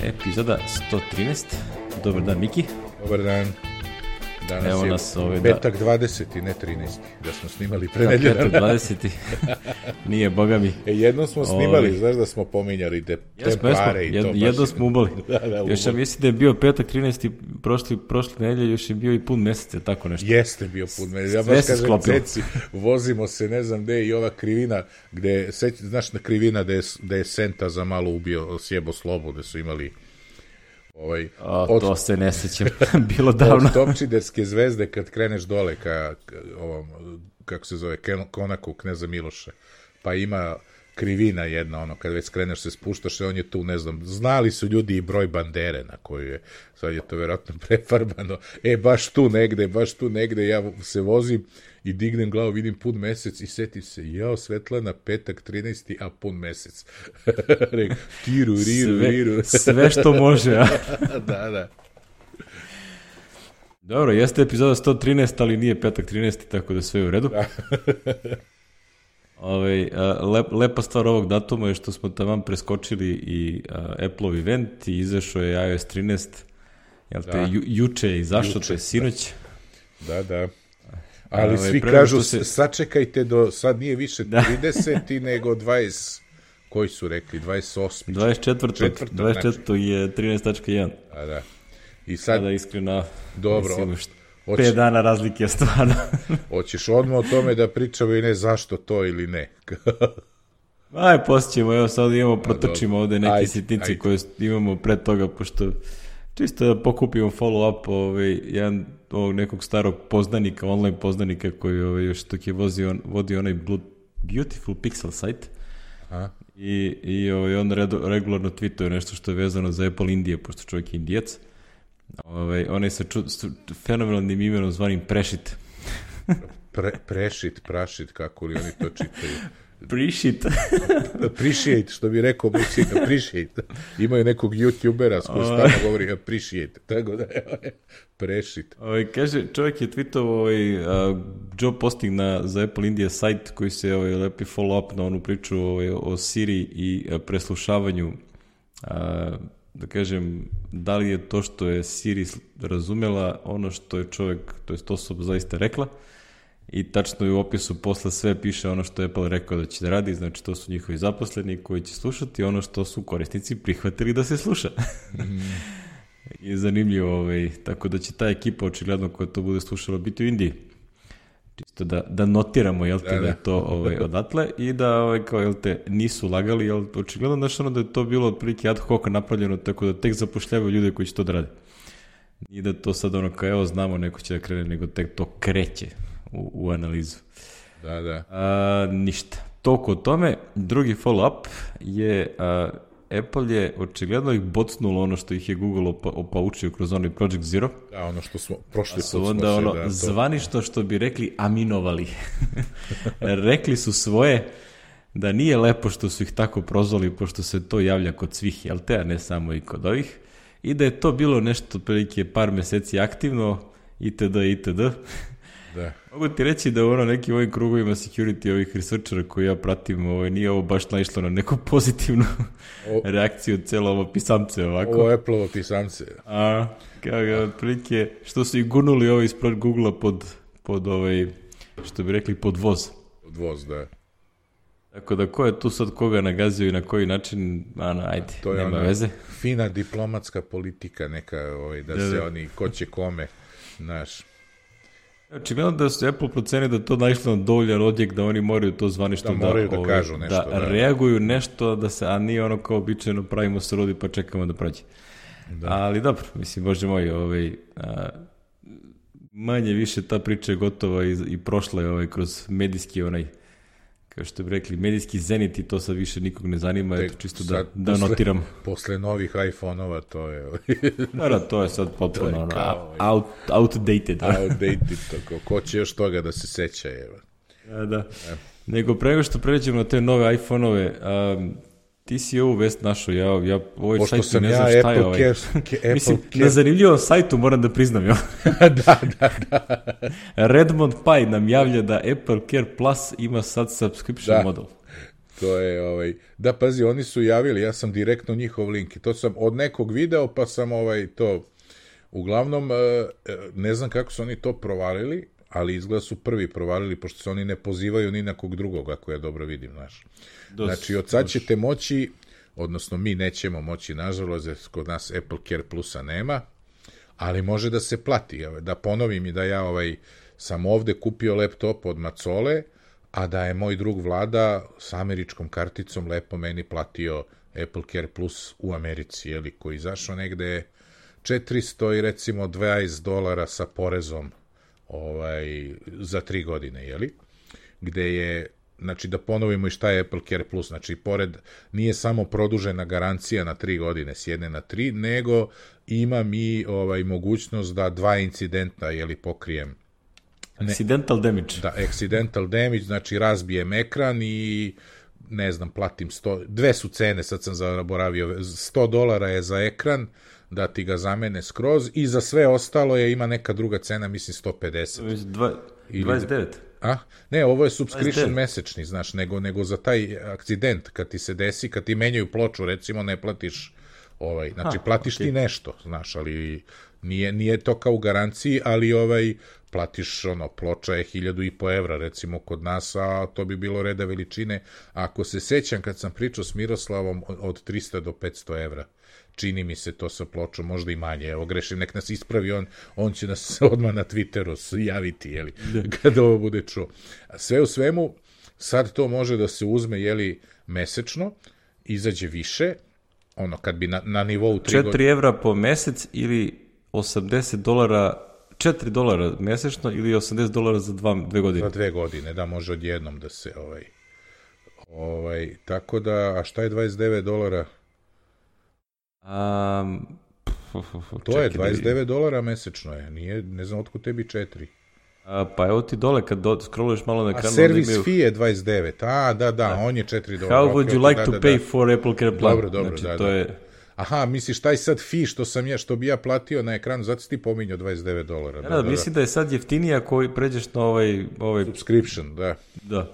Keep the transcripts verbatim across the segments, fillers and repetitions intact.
epizoda sto trinaest. Dobar dan, Miki. Dobar dan. Danas Evo je nas ovaj, petak dvadeseti, ne trinaesti, da smo snimali pre da, nedelju. petak dvadeseti. Nije, boga mi. E, jednom smo snimali, Ovi. znaš da smo pominjali te, te Jesmo, pare jesmo. i to. Jed, baš... jedno smo ubali. da, da, još ja mislim da je bio petak trinaesti prošli, prošle nedelje, još je bio i pun mesec, tako nešto. Jeste bio pun mesec. Ja Sve baš se kažem, sklopilo. ceci, vozimo se, ne znam gde, i ova krivina, gde, seć, znaš na krivina da je, da je Senta za malo ubio, sjebo Slobu, da su imali... Ovaj, O, od, to se ne sećam, bilo davno. od Topčiderske zvezde kad kreneš dole ka, ka ovom, kako se zove, konaku kneza Miloša, pa ima krivina jedna, ono, kad već skreneš se spuštaš, on je tu, ne znam, znali su ljudi i broj bandere na koju je, sad je to vjerojatno prefarbano, e, baš tu negde, baš tu negde, ja se vozim i dignem glavu, vidim pun mesec i setim se, jao, Svetlana, petak trinaesti, a pun mesec. Rek, tiru, riru, sve, riru. sve što može, a? da, da. Dobro, jeste epizoda sto trinaest, ali nije petak trinaesti, tako da sve je u redu. Ove, lep, lepa stvar ovog datuma je što smo taman preskočili i a, Apple-ov event i izašao je i o es trinaest. Jel te, Da. ju, juče je izašao, Juče, to je sinoć. Da, da. Ali Ove, svi pre nego kažu, što se- sačekajte do, sad nije više Da. trideseti, nego dvadeset, koji su rekli, dvadeset osmi. dvadeset četvrtog Četvrtog, dvadeset četvrtog je trinaest tačka jedan. A, da. I sad, Sada iskreno, dobro, mislim, št- hoće- pet dana razlike je stvarno. hoćeš odmah o tome da pričamo i ne zašto to ili ne. Aj, posjećemo, evo sad imamo, protrčimo ovde neke Ajde, sitnice ajde. koje imamo pre toga, pošto čisto da pokupimo follow-up ovaj, jedan ovog nekog starog poznanika, online poznanika koji ovaj, još dok je vozio, vodio onaj Blue, Beautiful Pixel site. A? I, i ovaj, on redu, regularno tweetuje nešto što je vezano za Apple Indije, pošto čovjek je Indijac. Ovaj, on je sa ču, s fenomenalnim imenom zvanim Prešit. Pre, prešit, prašit, kako li oni to čitaju. Prešit. Appreciate, što bi rekao Musi, appreciate. Imaju nekog youtubera s koji stalno govori appreciate. Tako da je prešit. Ovaj, kaže, čovjek je tweetovao ovaj, a, job posting na, za Apple India sajt koji se ovaj, lepi follow up na onu priču ovaj, o Siri i a, preslušavanju. A, da kažem, da li je to što je Siri sl- razumela ono što je čovjek, to je osoba zaista rekla, i tačno je u opisu posle sve piše ono što je Apple rekao da će da radi, znači to su njihovi zaposleni koji će slušati ono što su korisnici prihvatili da se sluša. I zanimljivo, ovaj, tako da će ta ekipa očigledno koja to bude slušala biti u Indiji. Čisto da, da notiramo, jel te, da, Da, da. je to ovaj, odatle i da, ovaj, kao, jel te, nisu lagali, jel, očigledno, znaš, ono da je to bilo otprilike ad hoc napravljeno, tako da tek zapošljavaju ljude koji će to da rade. I da to sad ono kao, evo, znamo, neko će da krene, nego tek to kreće u, u analizu. Da, da. A, ništa. Toliko o tome. Drugi follow-up je a, Apple je očigledno ih bocnulo ono što ih je Google opa, opaučio kroz onaj Project Zero. Da, ono što smo, prošli A put su smo onda se, ono, da, to... zvanično što bi rekli aminovali. Rekli su svoje da nije lepo što su ih tako prozvali, pošto se to javlja kod svih, jel te, a ne samo i kod ovih. I da je to bilo nešto otprilike par meseci aktivno, itd. itd. Da. Mogu ti reći da u ono nekim ovim krugovima security ovih researchera koji ja pratim, ovaj, nije ovo baš naišlo na neku pozitivnu O- reakciju celo ovo pisamce ovako. Ovo Apple-ovo pisamce. A, kao ga, otprilike, što su ih gurnuli ovo ispred Google-a pod, pod ovaj, što bi rekli, pod voz. Odvoz, da. Tako da ko je tu sad koga nagazio i na koji način, ano, ajde, To je nema ona veze. fina diplomatska politika neka, ovaj, da, Da, se da. oni, ko će kome, znaš. Očigledno da su Apple proceni da to naišlo na dovoljan odjek da oni moraju to zvanično Da da, moraju da ovaj, kažu nešto, da, da. reaguju nešto, da se, a nije ono kao običajno pravimo se rodi pa čekamo da prođe. Da. Ali dobro, mislim, bože moj, ovaj, a, manje više ta priča je gotova i, i prošla je ovaj, kroz medijski onaj, kao što bi rekli, medijski zenit i to sad više nikog ne zanima, Tek eto čisto da, sad, da posle- notiram. Posle novih iPhone-ova to je ovaj, Da, da, to je sad potpuno To je ono, kao, out, outdated. outdated, tako. Ko će još toga da se seća, evo. Da, da. Nego pre nego što pređemo na te nove iPhone-ove, um, ti si ovu vest našao, ja, ja ovaj Pošto sajt sam ne ja znam šta je Apple ovaj. Care, ke- Apple Mislim, Care, na zanimljivom sajtu moram da priznam, jo. da, da, da. Redmond Pie nam javlja da Apple Care Plus ima sad subscription Da. model. To je, ovaj, da, pazi, oni su javili, ja sam direktno njihov link, to sam od nekog video, pa sam ovaj, to, uglavnom, ne znam kako su oni to provalili, ali izgleda su prvi provalili, pošto se oni ne pozivaju ni na kog drugog, ako ja dobro vidim, znaš. Znači, od sad ćete moći, odnosno mi nećemo moći, nažalost, jer kod nas Apple Care Plusa nema, ali može da se plati. Da ponovim i da ja ovaj, sam ovde kupio laptop od Macole, a da je moj drug Vlada s američkom karticom lepo meni platio Apple Care Plus u Americi, jeli, koji izašao negde četiristo i recimo dvadeset dolara sa porezom ovaj, za tri godine, jeli? Gde je, znači da ponovimo i šta je Apple Care Plus, znači pored, nije samo produžena garancija na tri godine, s jedne na tri, nego ima mi ovaj, mogućnost da dva incidenta, jeli, pokrijem. Ne, accidental damage. Da, accidental damage, znači razbijem ekran i ne znam, platim sto, dve su cene, sad sam zaboravio, sto dolara je za ekran, da ti ga zamene skroz i za sve ostalo je, ima neka druga cena, mislim sto pedeset. Dva, dvadeset devet. A? Ne, ovo je subscription mesečni, znaš, nego, nego za taj akcident, kad ti se desi, kad ti menjaju ploču, recimo, ne platiš, ovaj, znači, A, platiš okay. ti nešto, znaš, ali nije, nije to kao u garanciji, ali ovaj, platiš, ono, ploča je hiljadu i po evra, recimo, kod nas, a to bi bilo reda veličine. Ako se sećam, kad sam pričao s Miroslavom, od trista do petsto evra, čini mi se to sa pločom, možda i manje, evo grešim, nek nas ispravi, on, on će nas odmah na Twitteru javiti, jeli, kada ovo bude čuo. Sve u svemu, sad to može da se uzme, jeli, mesečno, izađe više, ono, kad bi na, na nivou tri godine... četiri evra po mesec ili osamdeset dolara, četiri dolara mesečno ili osamdeset dolara za dva, dve godine? Za dve godine, da, može odjednom da se, ovaj, ovaj, tako da, a šta je dvadeset devet dolara? Um, to je dvadeset devet dolara mesečno je, nije, ne znam otkud tebi četiri. A, pa evo ti dole kad do, scrolluješ malo na ekranu. A service imaju... fee je dvadeset devet, a da, da, da. On je četiri dolara. How would you like da, to da, pay da. for Apple Care Plan? Dobro, dobro, znači, da, to da. Je... Aha, misliš taj sad fee što sam ja, što bi ja platio na ekranu, zato si ti pominjao dvadeset devet dolara. Da, da, da, da, mislim da je sad jeftinija ako pređeš na ovaj... ovaj... subscription, da. Da.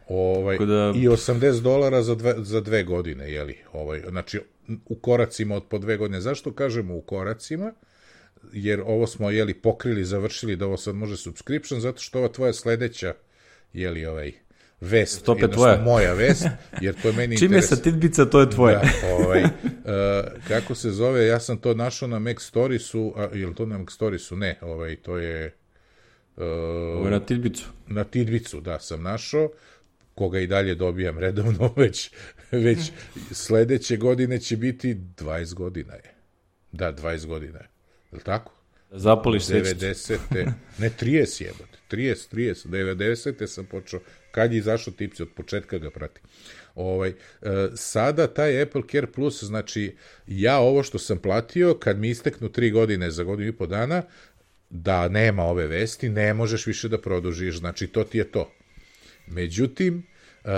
Ovaj, da... I osamdeset dolara za dve, za dve godine, jeli? Ovaj, znači, u koracima od po dve godine. Zašto kažemo u koracima? Jer ovo smo, jeli, pokrili, završili da ovo sad može subscription, zato što ova tvoja sledeća, jeli, ovaj, vest, jednostavno moja vest, jer to je meni čim interes... je sa Tidbica, to je tvoje. Da, ovaj, uh, kako se zove, ja sam to našao na Mac Storiesu, a, je li to na Mac Storiesu? Ne, ovaj, to je... Uh, ovo je na Tidbicu. Na Tidbicu, da, sam našao, koga i dalje dobijam redovno, već, već sledeće godine će biti dvadeset godina je. Da, dvadeset godina je. Je li tako? Zapališ svećicu. devedesete Ne, trideset jebote. trideset, trideset devedesete sam počeo. Kad je izašao Tipci, od početka ga pratim. Ovaj, e, sada taj Apple Care Plus, znači, ja ovo što sam platio, kad mi isteknu tri godine za godinu i po dana, da nema ove vesti, ne možeš više da produžiš. Znači, to ti je to. Međutim, uh,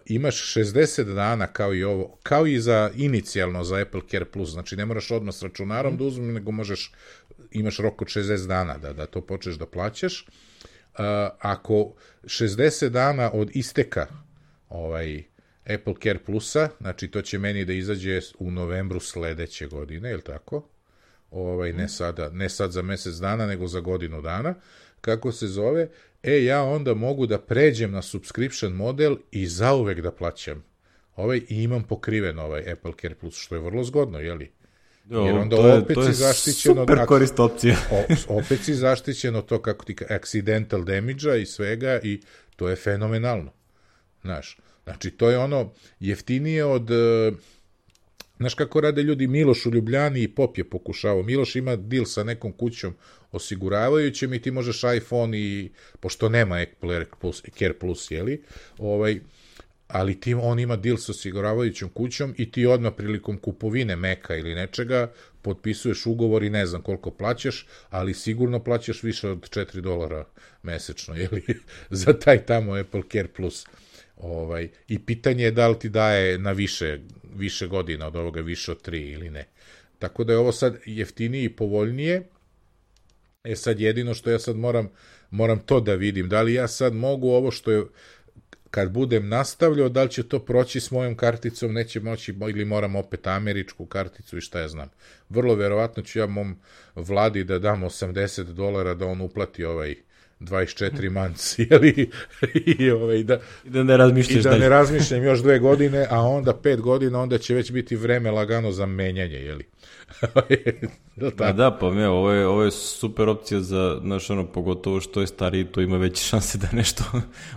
imaš šezdeset dana kao i ovo, kao i za inicijalno za Apple Care Plus, znači ne moraš odmah s računarom mm. da uzmem, nego možeš, imaš rok od šezdeset dana da, da to počneš da plaćaš. Uh, ako šezdeset dana od isteka ovaj, Apple Care Plusa, znači to će meni da izađe u novembru sledeće godine, je li tako? Ovaj, ne, sada, ne sad za mesec dana, nego za godinu dana, kako se zove, e, ja onda mogu da pređem na subscription model i zauvek da plaćam ovaj, i imam pokriven ovaj Apple Care Plus, što je vrlo zgodno, jeli? Jer onda to je, opet to je si zaštićeno... super korist opcija. o, opet si zaštićeno to, kako ti accidental damage-a i svega, i to je fenomenalno. Znaš, znači, to je ono jeftinije od... Znaš kako rade ljudi, Miloš u Ljubljani i Pop je pokušavao. Miloš ima deal sa nekom kućom osiguravajućem i ti možeš iPhone i, pošto nema Apple Care Plus, jeli, ovaj, ali ti, on ima deal sa osiguravajućom kućom i ti odmah prilikom kupovine Maca ili nečega potpisuješ ugovor i ne znam koliko plaćaš, ali sigurno plaćaš više od četiri dolara mesečno, jeli, za taj tamo Apple Care Plus. Ovaj, i pitanje je da li ti daje na više, više godina od ovoga, više od tri ili ne. Tako da je ovo sad jeftinije i povoljnije. E sad jedino što ja sad moram, moram to da vidim. Da li ja sad mogu ovo što je, kad budem nastavljao, da li će to proći s mojom karticom, neće moći, ili moram opet američku karticu i šta ja znam. Vrlo verovatno ću ja mom vladi da dam osamdeset dolara da on uplati ovaj dvadeset četiri manci, jeli, i, ovaj, da, I da ne razmišljaš i da dalje. ne razmišljam još dve godine, a onda pet godina, onda će već biti vreme lagano za menjanje, jeli. Pa da, pa me, ovo je, ovo je super opcija za, znaš, ono, pogotovo što je stariji, to ima veće šanse da nešto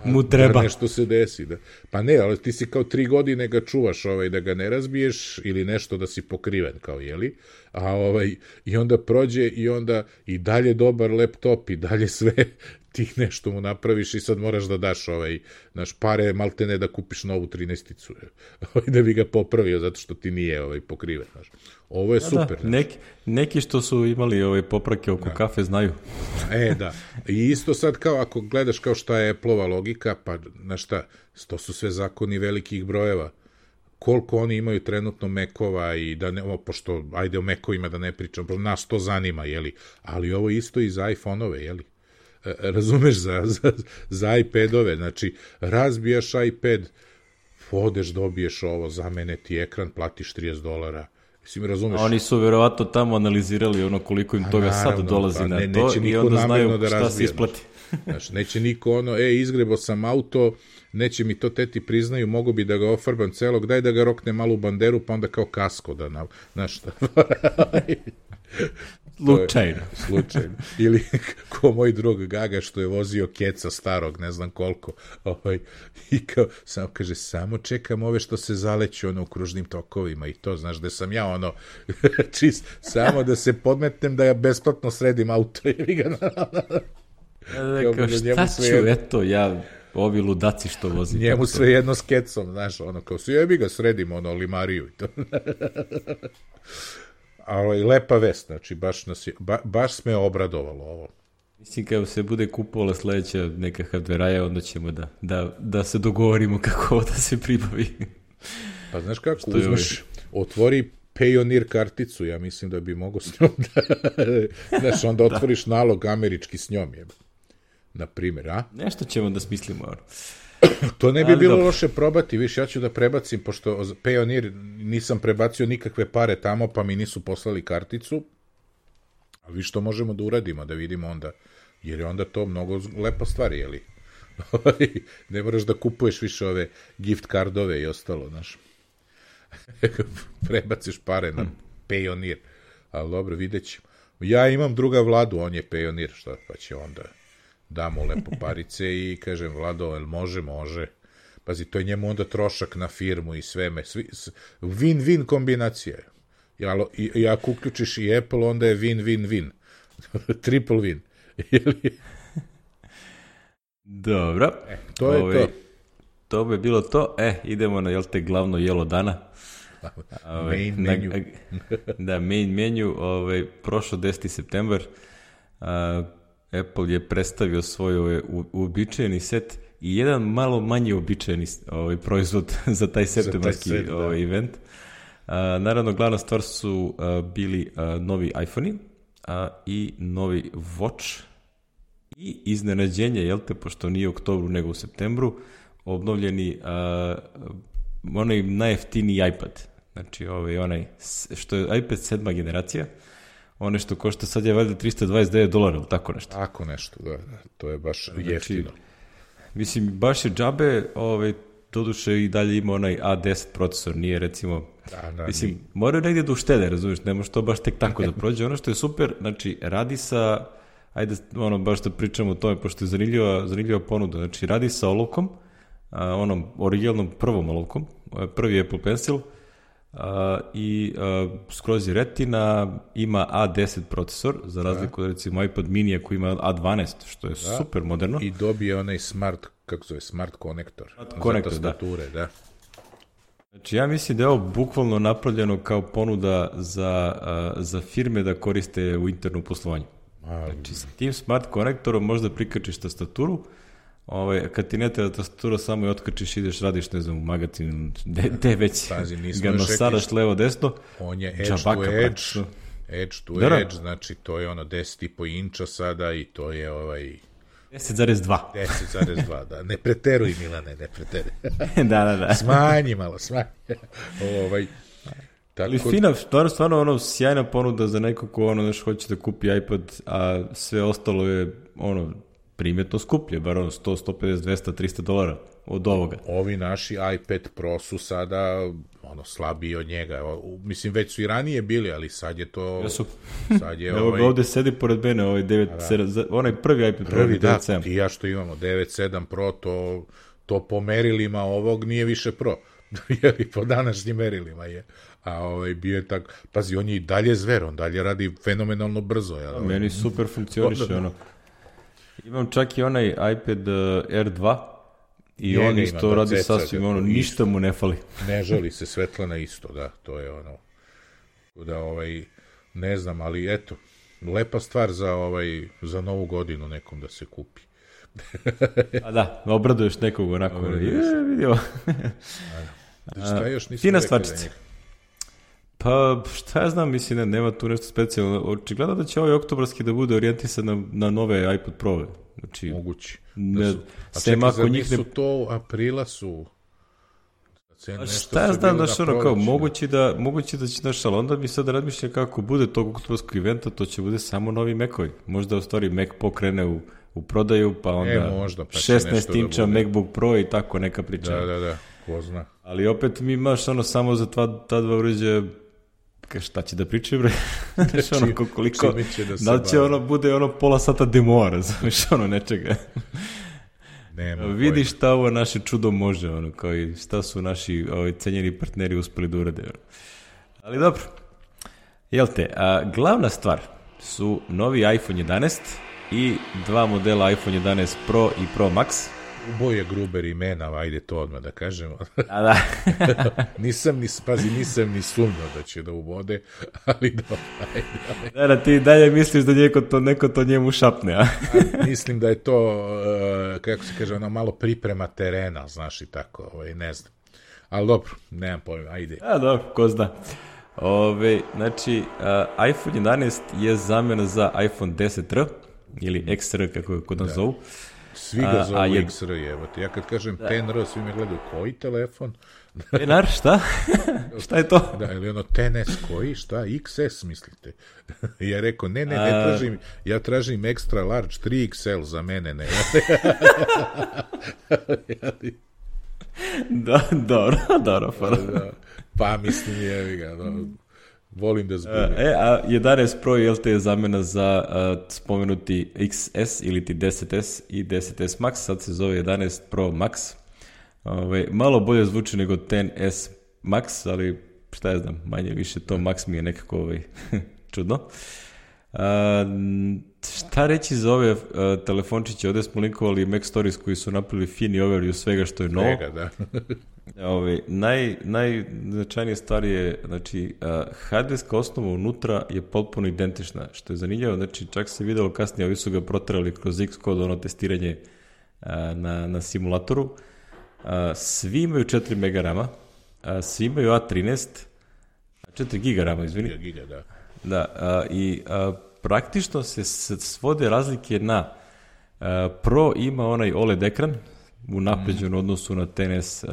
mu treba. Da nešto se desi, da. Pa ne, ali ti si kao tri godine ga čuvaš, ovaj, da ga ne razbiješ ili nešto da si pokriven, kao, jeli, a ovaj, i onda prođe i onda i dalje dobar laptop i dalje sve, ti nešto mu napraviš i sad moraš da daš ovaj, naš pare maltene da kupiš novu trinaesticu, da bi ga popravio zato što ti nije ovaj, pokriven, znaš. Ovo je da, super. Da, neki, neki što su imali ove poprake oko da. kafe znaju. E, da. I isto sad kao ako gledaš kao šta je Apple-ova logika, pa na šta, to su sve zakoni velikih brojeva. Koliko oni imaju trenutno Mekova i da ne, o, pošto, ajde o Mekovima da ne pričam, nas to zanima, jeli, ali ovo isto i za iPhone-ove, jeli. E, razumeš, za, za, za iPad-ove, znači, razbijaš iPad, odeš, dobiješ ovo, zamene ti ekran, platiš trideset dolara, mislim, razumeš? Oni su verovatno tamo analizirali ono koliko im toga naravno, sad dolazi pa, ne, na to i onda znaju da šta razbije, se isplati. Znaš, neće niko ono, e, izgrebo sam auto, neće mi to teti priznaju, mogu bi da ga ofarbam celog, daj da ga rokne malu banderu, pa onda kao kasko da, na, znaš šta. Slučajno. Slučajno. Ili ko moj drug Gaga što je vozio keca starog, ne znam koliko. Ovaj, i kao, samo kaže, samo čekam ove što se zaleću ono u kružnim tokovima i to, znaš, da sam ja ono, čist, samo da se podmetnem da ja besplatno sredim auto. I ga Rekao, šta ću, eto, ja, ovi ludaci što vozi. Njemu sve jedno s kecom, znaš, ono, kao si jebi ga sredimo, ono, limariju i to. Ali lepa vest, znači, baš, nas je, ba, baš sme obradovalo ovo. Mislim, kada se bude kupovala sledeća neka hardveraja, onda ćemo da, da, da se dogovorimo kako da se pribavi. Pa znaš kako, što uzmeš, otvori Payoneer karticu, ja mislim da bi mogo s njom da, znaš, onda otvoriš da. nalog američki s njom, je, na primjer, a? Nešto ćemo da smislimo, ono. To ne bi ali bilo dobro. Loše probati, viš, ja ću da prebacim, pošto Payoneer nisam prebacio nikakve pare tamo, pa mi nisu poslali karticu, a vi što možemo da uradimo, da vidimo onda, jer je onda to mnogo lepa stvar, jeli? Ne moraš da kupuješ više ove gift cardove i ostalo, znaš. Prebaciš pare na Payoneer, ali dobro, vidjet ćemo. Ja imam druga Vladu, on je Payoneer, šta pa će onda... damo lepo parice i kažem, Vlado, jel može, može. Pazi, to je njemu onda trošak na firmu i sve me. Svi, win-win kombinacija. Ja, i, ako uključiš i Apple, onda je win-win-win. Triple win. Dobro. E, to je Ove, to. To bi bilo to. E, idemo na, jel te, glavno jelo dana. Ove, main menu. Na, da, main menu. Ove, prošlo deseti septembar. A, Apple je predstavio svoj ovaj, uobičajeni set i jedan malo manje uobičajeni ovaj, proizvod za taj septembarski za taj set, ovaj, event. A, naravno, glavna stvar su a, bili a, novi iPhone-i a, i novi Watch i iznenađenje, jel te, pošto nije u oktobru nego u septembru, obnovljeni a, onaj najjeftiniji iPad. Znači, ovaj, onaj, što je iPad sedma generacija, one što košta sad je valjda trista dvadeset devet dolara, ili tako nešto. Tako nešto, da, da. To je baš znači, jeftino. Mislim, baš je džabe, ovaj, doduše i dalje ima onaj A deset procesor, nije recimo, da, da, mislim, nije. moraju negdje da uštede, razumiješ, ne može to baš tek tako da prođe. Ono što je super, znači, radi sa, ajde, ono, baš da pričamo o tome, pošto je zanimljiva, zanimljiva ponuda, znači, radi sa olovkom, a, onom originalnom prvom olovkom, prvi Apple Pencil, Uh, i uh, skroz je retina, ima A deset procesor, za razliku od recimo iPad mini koji ima A dvanaest, što je da. super moderno. I dobije onaj smart, kako zove, smart konektor. Smart konektor, za tastature, da. da. Znači ja mislim da je ovo bukvalno napravljeno kao ponuda za, uh, za firme da koriste u internom poslovanju. A, znači sa tim smart konektorom možda prikačiš tastaturu, Ovaj, kad ti ne treba tastatura, samo je otkačiš, ideš, radiš, ne znam, u magazin, gde već ga nosaraš levo, desno. On je edge to edge, edge to da, edge, znači to je ono deset i po inča sada i to je ovaj, deset zarez dva. deset zarez dva, da. Ne preteruj, Milane, ne preteruj. da, da, da. Smanji malo, smanji. ovaj, tako... Ali fina, stvarno, stvarno ono, sjajna ponuda za neko ko ono, znaš, hoće da kupi iPad, a sve ostalo je ono, primjetno skuplje, bar ono sto, sto pedeset, dvesta, trista dolara od ovoga. Ovi naši iPad Pro su sada ono slabiji od njega. O, mislim, već su i ranije bili, ali sad je to... Ja su... sad je Evo ovaj... ga ovde sedi pored mene, ovaj devet sedam, onaj prvi iPad Pro, prvi, da, ti ja što imamo, devet sedam Pro, to, to po merilima ovog nije više Pro. Jeli, po današnjim merilima je. A ovaj, bio je tako... Pazi, on je i dalje zver, on dalje radi fenomenalno brzo. Ja, meni super funkcioniše, ono. Imam čak i onaj iPad uh, R dva i njega on isto ima, radi sasvim, ono, ništa isto. Mu ne fali. Ne žali se, Svetlana isto, da, to je ono, da ovaj, ne znam, ali eto, lepa stvar za ovaj, za novu godinu nekom da se kupi. A da, obraduješ nekog onako, je, vidio. Šta još nisam fina rekao stvarčica. Pa, šta ja znam, mislim, ne, nema tu nešto specijalno. Očigledno da će ovaj oktobarski da bude orijentisan na, na nove iPod Pro-ve. Znači, mogući. Ne, da su, a čekaj, zar nisu ne... to aprila su... A šta ja znam, znaš, ono kao, mogući da, mogući da će, znaš, ali onda mi sad razmišljam kako bude tog oktobarskog eventa, to će bude samo novi Mac-ovi. Možda u stvari Mac pokrene u, u prodaju, pa onda e, možda, pa šesnaest inča da MacBook Pro i tako neka priča. Da, da, da, ko zna. Ali opet mi imaš ono samo za tva, ta dva uređaja, šta će da pričaju, bre? Znaš, ono, koliko, da, da li će ono, bude ono pola sata demoa, znaš, ono, nečega. Nema vidi šta ovo naše čudo može, ono, kao i šta su naši ovaj, cenjeni partneri uspeli da urade. Ono. Ali dobro, jel te, a, glavna stvar su novi iPhone jedanaest i dva modela iPhone jedanaest Pro i Pro Max. Uboje Gruber imena, ajde to odmah da kažemo. A da. nisam ni, pazi, nisam ni sumnjao da će da ubode, ali dobro, ajde. ajde. Da, da, ti dalje misliš da neko to, neko to njemu šapne, a? a mislim da je to, uh, kako se kaže, ono malo priprema terena, znaš i tako, ovaj, ne znam. Ali dobro, nemam pojma, ajde. A dobro, ko zna. Ove, znači, uh, iPhone jedanaest je zamjena za iPhone deset R, ili X R, kako je kod nas da. zovu. Svi ga zovu a, a X R, jebate. Ja kad kažem da. ten R, svi me gledaju, koji telefon? ten R, šta? Šta je to? Da, ili ono ten S koji, šta? X S, mislite? Ja rekao, ne, ne, ne a... tražim, ja tražim extra large tri X L za mene, ne. da, dobro, dobro. Da, pa mislim, jevi ga, da. Volim da zbudem. E, a jedanaest Pro je L T E zamjena za uh, spomenuti X S ili ti deset S i deset S Max, sad se zove jedanaest Pro Max. Ove, malo bolje zvuči nego ten S Max, ali šta ja znam, manje više to Max mi je nekako ovaj, čudno. Uh, šta reći za ove uh, telefončiće, ovdje smo linkovali Mac Stories koji su napravili fini overview svega što je novo. Svega, da. Ove, naj, najznačajnije stvar je, znači, uh, hardverska osnova unutra je potpuno identična, što je zanimljivo, znači, čak se videlo kasnije, ovi su ga proterali kroz Xcode, ono testiranje uh, na, na simulatoru. Uh, svi imaju četiri mega rama, uh, svi imaju A trinaest, četiri giga rama, izvini. Giga, da. Da, uh, i uh, praktično se svode razlike na uh, Pro ima onaj O L E D ekran, u napređenom mm. odnosu na ten S uh,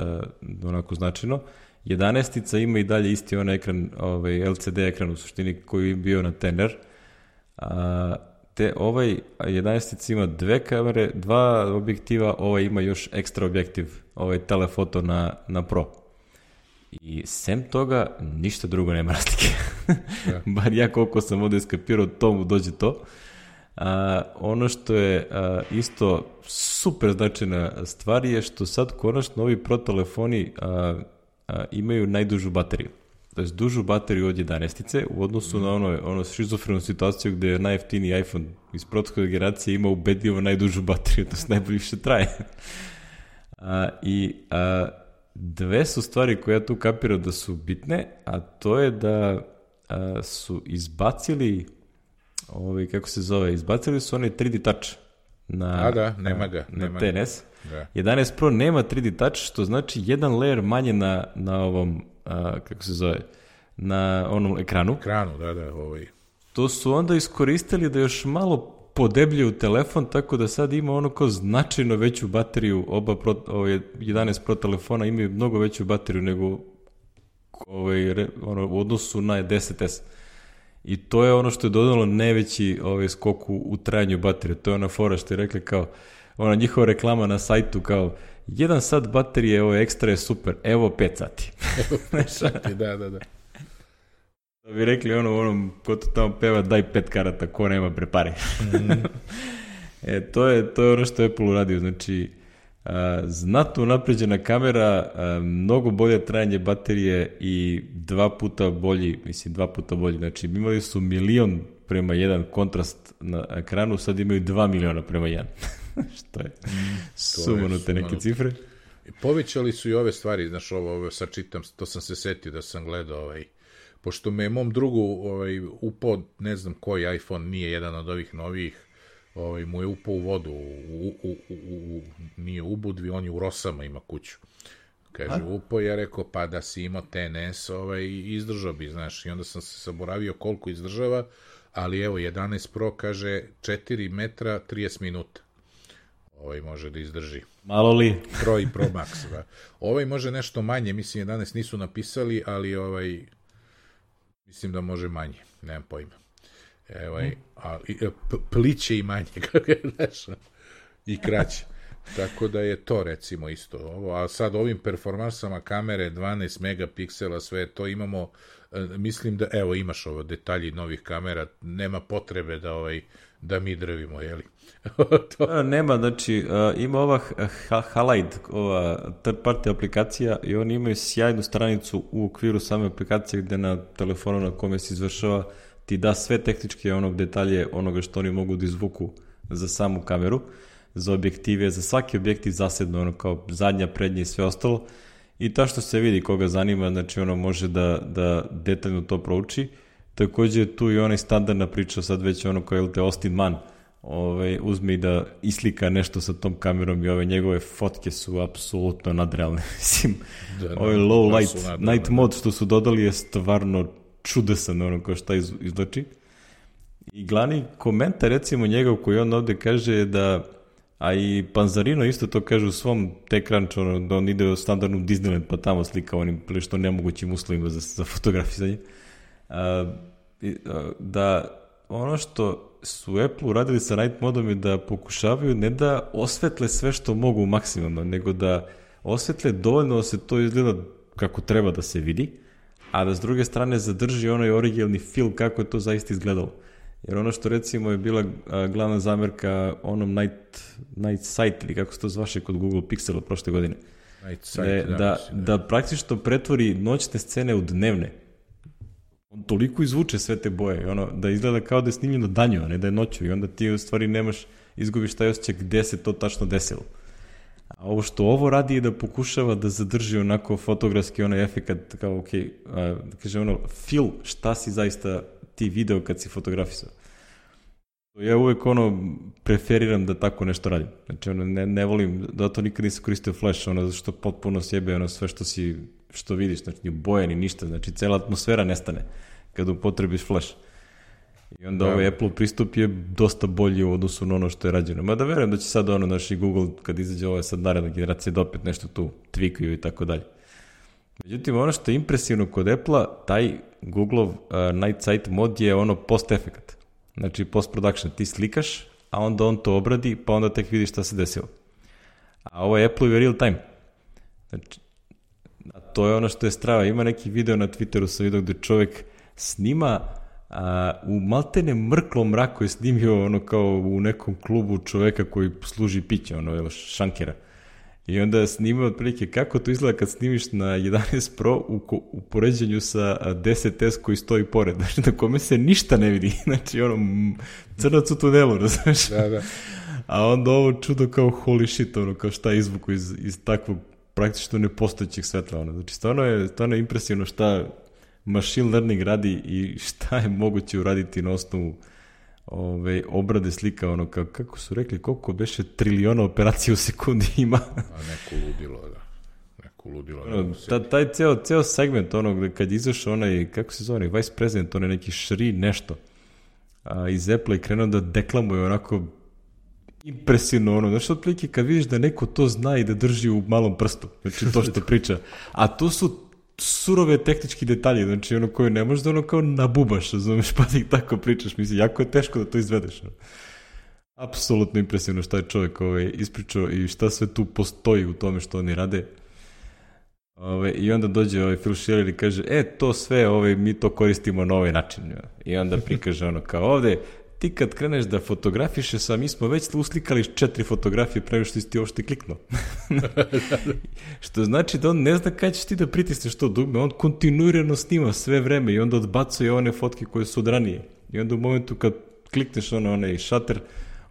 onako značajno. jedanaestica ima i dalje isti onaj ekran, ovaj, L C D ekran u suštini koji je bio na ten R. Uh, te ovaj jedanaestica ima dve kamere, dva objektiva, ovaj ima još ekstra objektiv, ovaj telefoto na, na Pro. I sem toga, ništa drugo nema razlike. Bar ja koliko sam ovdje skapirao, tomu dođe to. A, ono što je a, isto super značajna stvar je što sad konačno ovi Pro telefoni a, a, imaju najdužu bateriju. To je dužu bateriju od jedanaestice u odnosu mm. na ono, ono šizofrenu situaciju gde je najjeftiniji iPhone iz protokola generacije ima ubedljivo najdužu bateriju, to se najbolje više traje. a, I a, dve su stvari koje ja tu kapiram da su bitne, a to je da a, su izbacili Ovi, kako se zove, izbacili su onaj tri D Touch na, a da, nema ga, na, nema na ten S. Da. jedanaest Pro nema tri D Touch, što znači jedan layer manje na, na ovom, a, kako se zove, na onom ekranu. Ekranu, da, da. Ovaj. To su onda iskoristili da još malo podebljaju telefon, tako da sad ima ono kao značajno veću bateriju, oba pro, ove, jedanaest Pro telefona imaju mnogo veću bateriju nego ovaj, ono, u odnosu na deset es. I to je ono što je dodalo najveći ovaj, skok u, u trajanju baterije. To je ona fora što je rekli kao, ona njihova reklama na sajtu kao, jedan sat baterije, ovo ekstra je super, evo pet sati. Evo pet sati, da, da, da. Da bi rekli ono, onom, ko to tamo peva, daj pet karata, ko nema prepari. Mm. e, to je, to je ono što je Apple uradio, znači, a, znatno napređena kamera, a, mnogo bolje trajanje baterije i dva puta bolji, mislim, dva puta bolji, znači, imali su milion prema jedan kontrast na ekranu, sad imaju dva miliona prema jedan. što je mm, sumanute neke cifre. Povećali su i ove stvari, znaš, ovo, ovo sad čitam, to sam se setio da sam gledao, ovaj, pošto me mom drugu ovaj, upao, ne znam koji iPhone, nije jedan od ovih novih, ovaj, mu je upao u vodu, u, u, u, u, nije u Budvi, on je u Rosama ima kuću. Kaže, upao, ja rekao, pa da si imao T N S, ovaj, izdržao bi, znaš, i onda sam se saboravio koliko izdržava, ali evo, jedanaest Pro kaže četiri metra, trideset minuta. Ovaj može da izdrži. Malo li? Pro i Pro Max, da. Ovaj može nešto manje, mislim, jedanaest nisu napisali, ali ovaj, mislim da može manje, nemam pojma. Evo, mm. a, p, pliće i manje, kako je znaš, i kraće. Tako da je to, recimo, isto. Ovo, a sad ovim performansama kamere, dvanaest megapiksela, sve to imamo, mislim da, evo, imaš ovo detalji novih kamera, nema potrebe da ovaj, da mi drvimo, jeli? to... Nema, znači, uh, ima ova Halide, ova third party aplikacija i oni imaju sjajnu stranicu u okviru same aplikacije gde na telefonu na kome se izvršava ti da sve tehničke onog detalje onoga što oni mogu da izvuku za samu kameru, za objektive, za svaki objektiv zasedno, ono kao zadnja, prednja i sve ostalo. I ta što se vidi koga zanima, znači ono može da, da detaljno to prouči. Takođe tu i onaj standardna priča, sad već ono kao je te Austin Mann, ovaj, uzme i da islika nešto sa tom kamerom i ove njegove fotke su apsolutno nadrealne. Mislim, da, ovaj low light, night mode što su dodali je stvarno čudesan ono kao šta iz, izlači. I glavni komentar recimo njegov koji on ovde kaže je da, a i Panzarino isto to kaže u svom TechCrunch, ono, da on ide u standardnu Disneyland pa tamo slika onim prilično nemogućim uslovima za, za fotografisanje. A, da ono što su Apple uradili sa night modom je da pokušavaju ne da osvetle sve što mogu maksimalno, nego da osvetle dovoljno da se to izgleda kako treba da se vidi, a da s druge strane zadrži onaj originalni feel kako je to zaista izgledalo. Jer ono što recimo je bila glavna zamerka onom Night, Night Sight, ili kako se to zvaše kod Google Pixela prošle godine, Night Sight, da, da, da, da praktično pretvori noćne scene u dnevne. On toliko izvuče sve te boje, ono, da izgleda kao da je snimljeno danju, a ne da je noću, i onda ti u stvari nemaš, izgubiš taj osjećaj gde se to tačno desilo. A ovo što ovo radi je da pokušava da zadrži onako fotografski onaj efekat, kao, ok, a, kaže ono, feel šta si zaista ti video kad si fotografisao. Ja uvek ono, preferiram da tako nešto radim. Znači, ono, ne, ne volim, da to nikad nisam koristio flash, ono, zato što potpuno sjebe, ono, sve što si, što vidiš, znači, ni boje, ni ništa, znači, cela atmosfera nestane kad upotrebiš flash. I onda ovaj Apple pristup je dosta bolji u odnosu na ono što je rađeno. Mada verujem da će sad ono, naši Google, kad izađe ovo sad naredna generacija, da opet nešto tu tweakaju i tako dalje. Međutim, ono što je impresivno kod Apple-a, taj Google-ov uh, Night Sight mod je ono post-efekat. Znači, post-production. Ti slikaš, a onda on to obradi, pa onda tek vidiš šta se desilo. A ovo je Apple-u real time. Znači, a to je ono što je strava. Ima neki video na Twitteru sam vidio gde čovjek snima a, u maltene mrklom mraku je snimio ono kao u nekom klubu čoveka koji služi piće, ono, evo, šankera. I onda je snimao otprilike kako to izgleda kad snimiš na jedanaest Pro u, u poređenju sa deset es koji stoji pored, znači na kome se ništa ne vidi, znači ono crnac u tunelu, razumiješ? Da, da. A onda ovo čudo kao holy shit, ono kao šta je izvuku iz, iz takvog praktično nepostojećeg svetla, ono. Znači stvarno je, stvarno je impresivno šta machine learning radi i šta je moguće uraditi na osnovu ove, obrade slika, ono, ka, kako su rekli, koliko beše triliona operacija u sekundi ima. A neko ludilo, da. Neko ludilo. Ono, ta, taj ceo, ceo segment, ono, gde kad izašao onaj, kako se zove, vice president, onaj neki Šri nešto, a, iz Apple i krenuo da deklamuje onako impresivno ono, znači otprilike kad vidiš da neko to zna i da drži u malom prstu, znači to što priča, a to su surove tehnički detalji, znači ono koje ne možeš da ono kao nabubaš, razumeš, pa ti tako pričaš, mislim, jako je teško da to izvedeš. Apsolutno impresivno šta je čovjek ovaj, ispričao i šta sve tu postoji u tome što oni rade. Ove, I onda dođe ovaj Phil Schiller i kaže, e, to sve, ovaj, mi to koristimo na ovaj način. I onda prikaže ono kao ovde, ti kad kreneš da fotografiše sa, mi smo već uslikali četiri fotografije pre što si ti uopšte kliknuo. Što znači da on ne zna kada ćeš ti da pritisneš to dugme, on kontinuirano snima sve vreme i onda odbacuje one fotke koje su od ranije. I onda u momentu kad klikneš ono, onaj šater,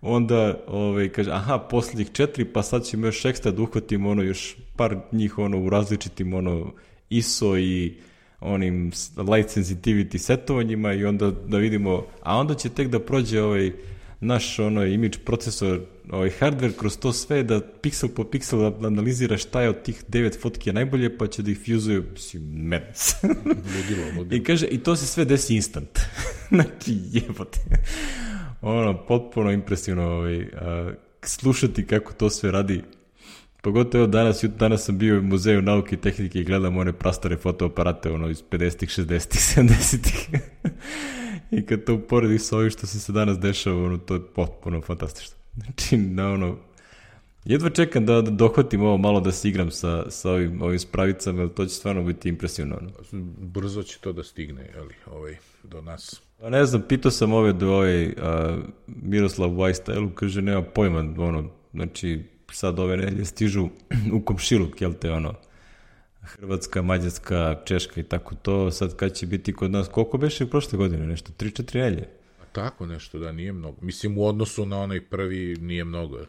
onda ovaj, kaže, aha, posljednjih četiri, pa sad ćemo još ekstra da uhvatimo ono, još par njih ono, u različitim ono, I S O i onim light sensitivity setovanjima i onda da vidimo, a onda će tek da prođe ovaj naš ono, image procesor, ovaj hardware kroz to sve da piksel po piksel analizira šta je od tih devet fotke najbolje, pa će da ih fuzuje, mislim, medec. Ludilo, ludilo. I kaže, i to se sve desi instant. Znači, jebote. Ono, potpuno impresivno ovaj, a, slušati kako to sve radi. Pogotovo danas, danas sam bio u muzeju nauke i tehnike i gledam one prastare fotoaparate ono, iz pedesetih, šezdesetih, sedamdesetih. I kad to uporediš sa ovim što se se danas dešava, ono, to je potpuno fantastično. Znači, na ono, jedva čekam da, da dohvatim ovo malo da se igram sa, sa ovim, ovim spravicama, to će stvarno biti impresivno. Ono. Brzo će to da stigne, ali, ovaj, do nas. Pa ne znam, pitao sam ove do ovaj uh, Miroslav Vajstajlu, kaže, nema pojma, ono, znači, sad ove nedelje stižu u komšiluk, jel te, ono, Hrvatska, Mađarska, Češka i tako to, sad kad će biti kod nas, koliko beše prošle godine, nešto, tri četiri nedelje? Tako nešto, da, nije mnogo. Mislim, u odnosu na onaj prvi nije mnogo.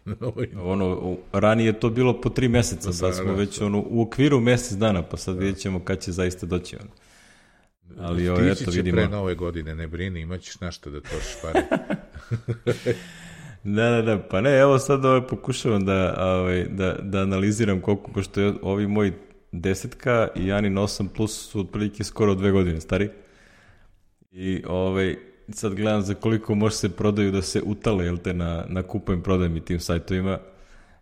ono, ranije je to bilo po tri meseca, da, sad smo da, već da. Ono, u okviru mesec dana, pa sad da. Vidjet ćemo kad će zaista doći. Ono. Ali, o, eto, će vidimo. Pre nove godine, ne brini, imaćeš našta da trošiš pare. Da, da, da, pa ne, evo sad ovaj, pokušavam da, ovaj, da, da analiziram koliko, pošto je ovi moji desetka i Janin osam plus su otprilike skoro dve godine stari. I ovaj, sad gledam za koliko može se prodaju da se utale, jel te, na, na kupujem prodajem i tim sajtovima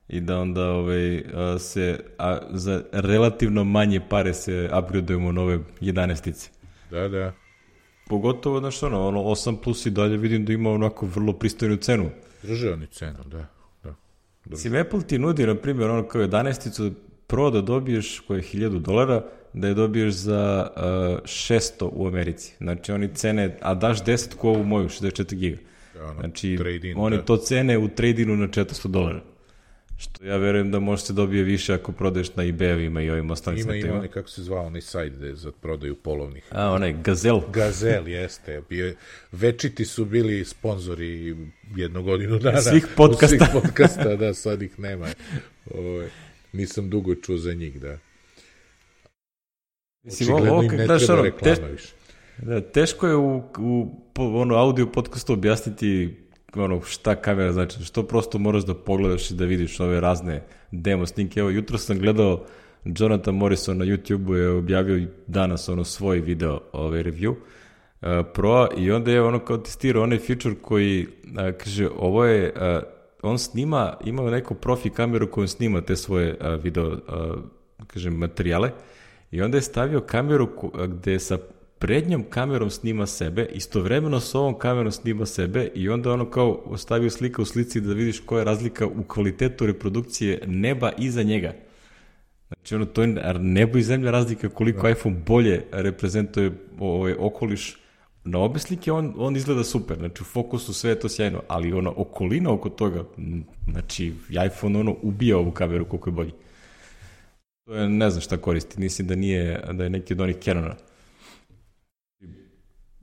i da onda ovaj, se, a za relativno manje pare se upgradeujemo nove jedanaestice. Da, da. Pogotovo, znaš, ono, ono, osam plus i dalje vidim da ima onako vrlo pristojnu cenu. Drže oni cenu, da. da. Mislim, Apple ti nudi, na primjer, ono kao jedanaesticu Pro da dobiješ, koje je hiljadu dolara, da je dobiješ za uh, šesto u Americi. Znači, oni cene, a daš deset ko ovu moju, šezdeset četiri giga. Da, ono, znači, trade-in, oni da. To cene u trade-inu na četiristo dolara. Što ja verujem da može se dobije više ako prodaješ na eBay-ovima i ovim ostalim sajtima. Ima, sajtima. ima onaj, kako se zvao, onaj sajt gde za prodaju polovnih. A, onaj, Gazel. Gazel, jeste. Bio, večiti su bili sponzori jednu godinu dana. Svih podcasta. Svih podcasta, da, sad ih nema. O, nisam dugo čuo za njih, da. Mislim, očigledno ovo, im ne daš, treba ono, reklama teš, više. Da, teško je u, u ono, audio podcastu objasniti ono, šta kamera znači, što prosto moraš da pogledaš i da vidiš ove razne demo snimke. Evo, jutro sam gledao Jonathan Morrison na YouTube-u je objavio danas ono svoj video ovaj review uh, Pro i onda je ono kao testirao onaj feature koji uh, kaže ovo je uh, on snima, ima neku profi kameru koju snima te svoje uh, video uh, kažem materijale i onda je stavio kameru ko, gde sa prednjom kamerom snima sebe, istovremeno s ovom kamerom snima sebe i onda ono kao ostavio slika u slici da vidiš koja je razlika u kvalitetu reprodukcije neba iza njega. Znači ono, to je nebo i zemlja razlika koliko da. iPhone bolje reprezentuje ovaj okoliš. Na obe slike on, on izgleda super, znači u fokusu sve je to sjajno, ali ona okolina oko toga, znači iPhone ono ubija ovu kameru koliko je bolji. To je, ne znam šta koristi, mislim da nije, da je neki od onih Canona.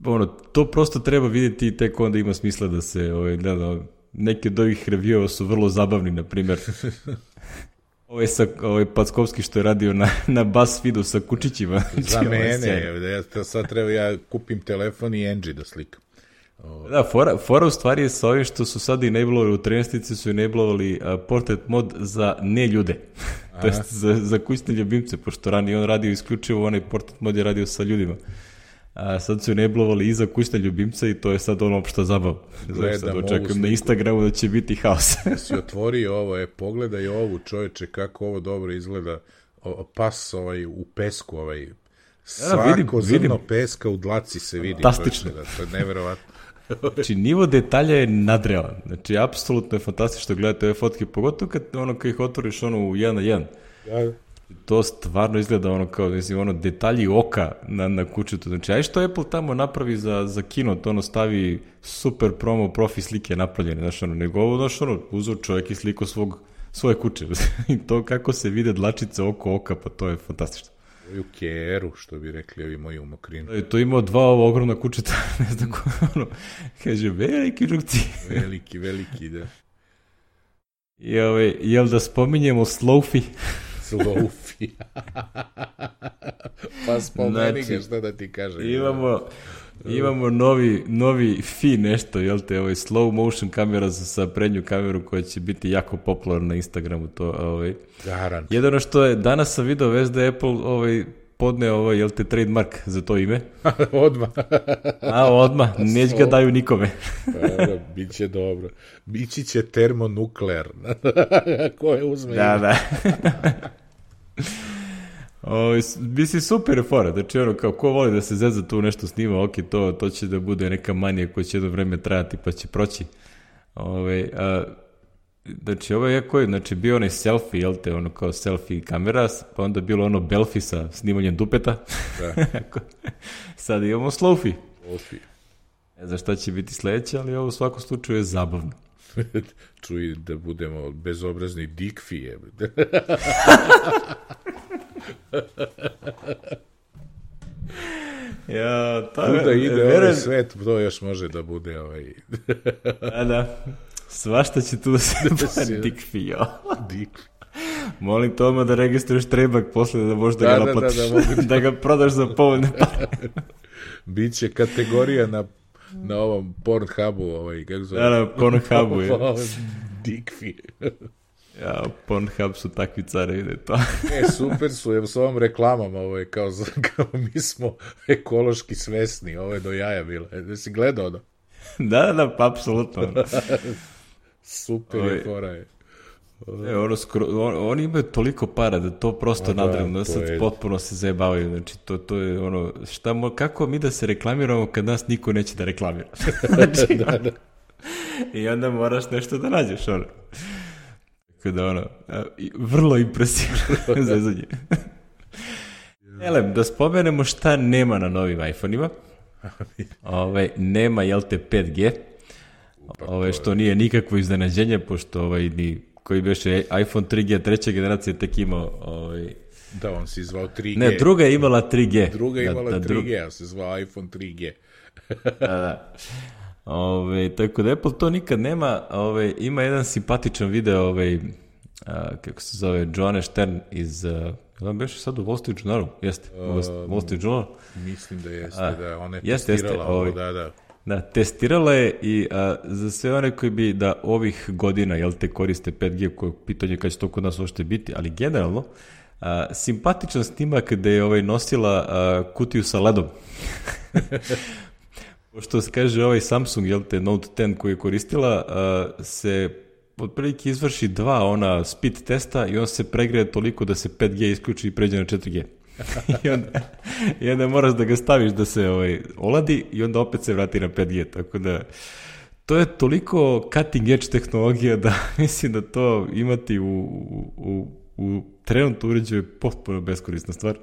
Ono, to prosto treba vidjeti i tek onda ima smisla da se ovaj, gleda. Neki od ovih review su vrlo zabavni, na primjer. Ovaj, sa, ovaj Packovski što je radio na, na BuzzFeedu sa kučićima. Za mene, ja, sad treba ja kupim telefon i Angie da slikam. Oh. Da, fora, fora u stvari je sa ovim što su sad enablovali u trinaestici su enablovali uh, portrait mod za ne ljude. To jest za, za kućne ljubimce, pošto ranije on radio isključivo, onaj portrait mod je radio sa ljudima. a sad su enablovali i za kućne ljubimce i to je sad ono opšta zabava. Znači sad očekujem na Instagramu da će biti haos. Si otvorio ovo, e, pogledaj ovo, čoveče, kako ovo dobro izgleda, o, pas ovaj, u pesku, ovaj, svako ja, vidim, zrno vidim. Peska u dlaci se vidi. Fantastično. Čoveče, da, to je neverovatno. Znači, nivo detalja je nadrealan. Znači, apsolutno je fantastično gledati ove fotke, pogotovo kad, ono, kad ih otvoriš ono u jedan na jedan. Ja. To stvarno izgleda ono kao, mislim, ono, detalji oka na, na kućetu. Znači, aj što Apple tamo napravi za, za kino, to ono stavi super promo profi slike napravljene, znaš, ono, nego ovo, znaš, ono, uzeo čovjek i sliko svog, svoje kuće. I to kako se vide dlačice oko oka, pa to je fantastično. U keru, što bi rekli ovi moji u Mokrinu. To je imao dva ova ogromna kućeta, ne znam ko, ono, kaže, veliki žukci. Veliki, veliki, da. I, ove, jel da spominjemo Slofi? Slofi. Pa spomeni znači, ga, šta da ti kažem. Imamo, imamo novi, novi F I nešto, jel te, ovaj slow motion kamera sa prednju kameru koja će biti jako popularna na Instagramu. To, ovaj. Garant. Jedino što je, danas sam video vez da je Apple ovaj, podneo ovaj, jel te, trademark za to ime. Odmah. A, odmah, neć ga daju nikome. Pa, bit će dobro. Bići će termonuklear. Ko je uzme da, ime? Da. O, mislim, super je fora, znači ono, kao ko voli da se zeza tu nešto snima, ok, to, to će da bude neka manija koja će jedno vreme trajati pa će proći. Ove, a, znači, ovo je jako je, znači, bio onaj selfie, jel te, ono kao selfie kamera, pa onda bilo ono belfi sa snimanjem dupeta. Da. Sad imamo slowfi. Slowfi. Ne znam šta će biti sledeće, ali ovo u svakom slučaju je zabavno. Čuj da budemo bezobrazni dikfije. Ja, ta, kuda ide veren... ovaj svet, to još može da bude ovaj... Da, da. Svašta će tu da se da dikfio. Dikfi. Molim Toma da registruješ trebak posle da možeš da, da ga naplatiš. Da, da, da, da ga prodaš za povoljne pare. Biće kategorija na na ovom Pornhubu, ovaj, kako zove? Da, na Pornhubu je. Dikfi. Ja, Pornhub su takvi care, ide to. E, super su, evo s ovom reklamom, ovo je kao, kao mi smo ekološki svesni, ovo je do jaja bilo. Da si gledao ono? Da, da, pa apsolutno. Super je, fora je. E, ono skro, on, oni imaju toliko para da to prosto nadrealno, da sad je... potpuno se zajebavaju, znači to, to je ono, šta mo, kako mi da se reklamiramo kad nas niko neće da reklamira? Znači, da, da. I onda moraš nešto da nađeš, ono. Tako da, ono, vrlo impresivno zezanje. Elem, da spomenemo šta nema na novim iPhone-ima. Ove, nema, jel te, pet G, Ove, što nije nikakvo iznenađenje, pošto ovaj, ni koji beše iPhone tri G treće generacije tek imao... Ovaj... Da, on se zvao tri G. Ne, druga je imala tri G. Druga je da, imala da, tri G, a se zvao iPhone tri G. da, da. Ove, tako da Apple to nikad nema. Ove, ima jedan simpatičan video, ove, a, kako se zove, Joanne Stern iz... A, on beše sad u Wall Street Journalu? Jeste, u Wall Street Journal? Mislim da jeste, a, da. Ona je jeste, testirala jeste, ovo, ovaj, da, da. Da, testirala je i a, za sve one koji bi da ovih godina, jel te, koriste pet G, koje pitanje kada će to kod nas uopšte biti, ali generalno, a, simpatičan snimak gde je ovaj nosila a, kutiju sa ledom. Pošto se kaže ovaj Samsung, jel te, Note deset koji je koristila, a, se otprilike izvrši dva ona speed testa i on se pregreje toliko da se pet G isključi i pređe na četiri G. I, onda, I onda moraš da ga staviš da se ovaj, oladi i onda opet se vrati na pet G, tako da to je toliko cutting edge tehnologija da mislim da to imati u, u, u trenutno uređaju je potpuno beskorisna stvar.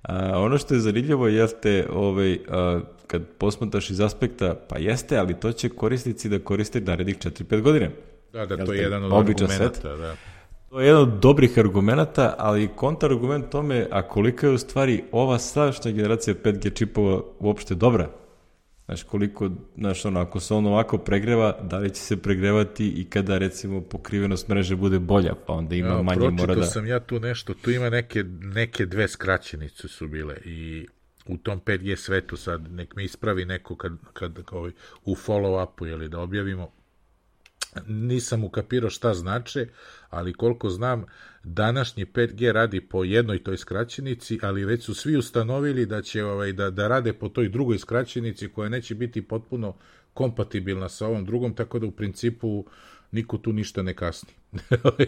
A, ono što je zanimljivo jeste ovaj, a, kad posmataš iz aspekta, pa jeste, ali to će korisnici da koriste narednih četiri pet godine. Da, da, to je jedan od argumenta, da. To je jedan od dobrih argumenta, ali kontrargument tome, a kolika je u stvari ova sadašnja generacija pet G čipova uopšte dobra? Znaš, koliko, znaš, ono, ako se on ovako pregreva, da li će se pregrevati i kada, recimo, pokrivenost mreže bude bolja, pa onda ima ja, manje mora da... Pročitao sam ja tu nešto, tu ima neke, neke dve skraćenice su bile i u tom pet G svetu sad, nek me ispravi neko kad, kad ovaj, u follow-upu, jeli, da objavimo, nisam ukapirao šta znače, ali koliko znam, današnji pet G radi po jednoj toj skraćenici, ali već su svi ustanovili da će ovaj, da, da rade po toj drugoj skraćenici koja neće biti potpuno kompatibilna sa ovom drugom, tako da u principu niko tu ništa ne kasni.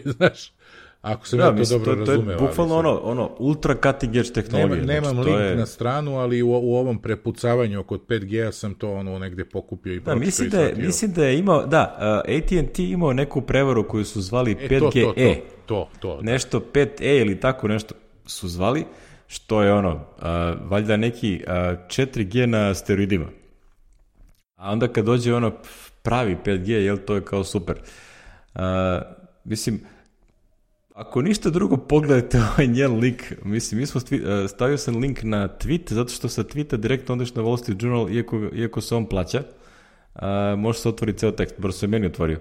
Znaš, ako sam da, ja to mislim, dobro to, razumeo. To je bukvalno ono, ono ultra cutting edge tehnologije. Nema, nemam znači, link je... na stranu, ali u, u ovom prepucavanju kod pet G sam to ono negde pokupio i da, mislim da je, mislim da je imao, da, uh, A T and T imao neku prevaru koju su zvali e, pet G E. To, to, to, to. Nešto pet E ili tako nešto su zvali, što je ono, uh, valjda neki uh, četiri G na steroidima. A onda kad dođe ono pravi pet G, jel, to je kao super. Uh, mislim, ako ništa drugo, pogledajte ovaj njen link. Mislim, mi smo sti, uh, stavio sam link na tweet, zato što sa tweeta direktno ondeš na Wall Street Journal, iako, iako se on plaća. Uh, može se otvoriti ceo tekst, bar se meni otvorio.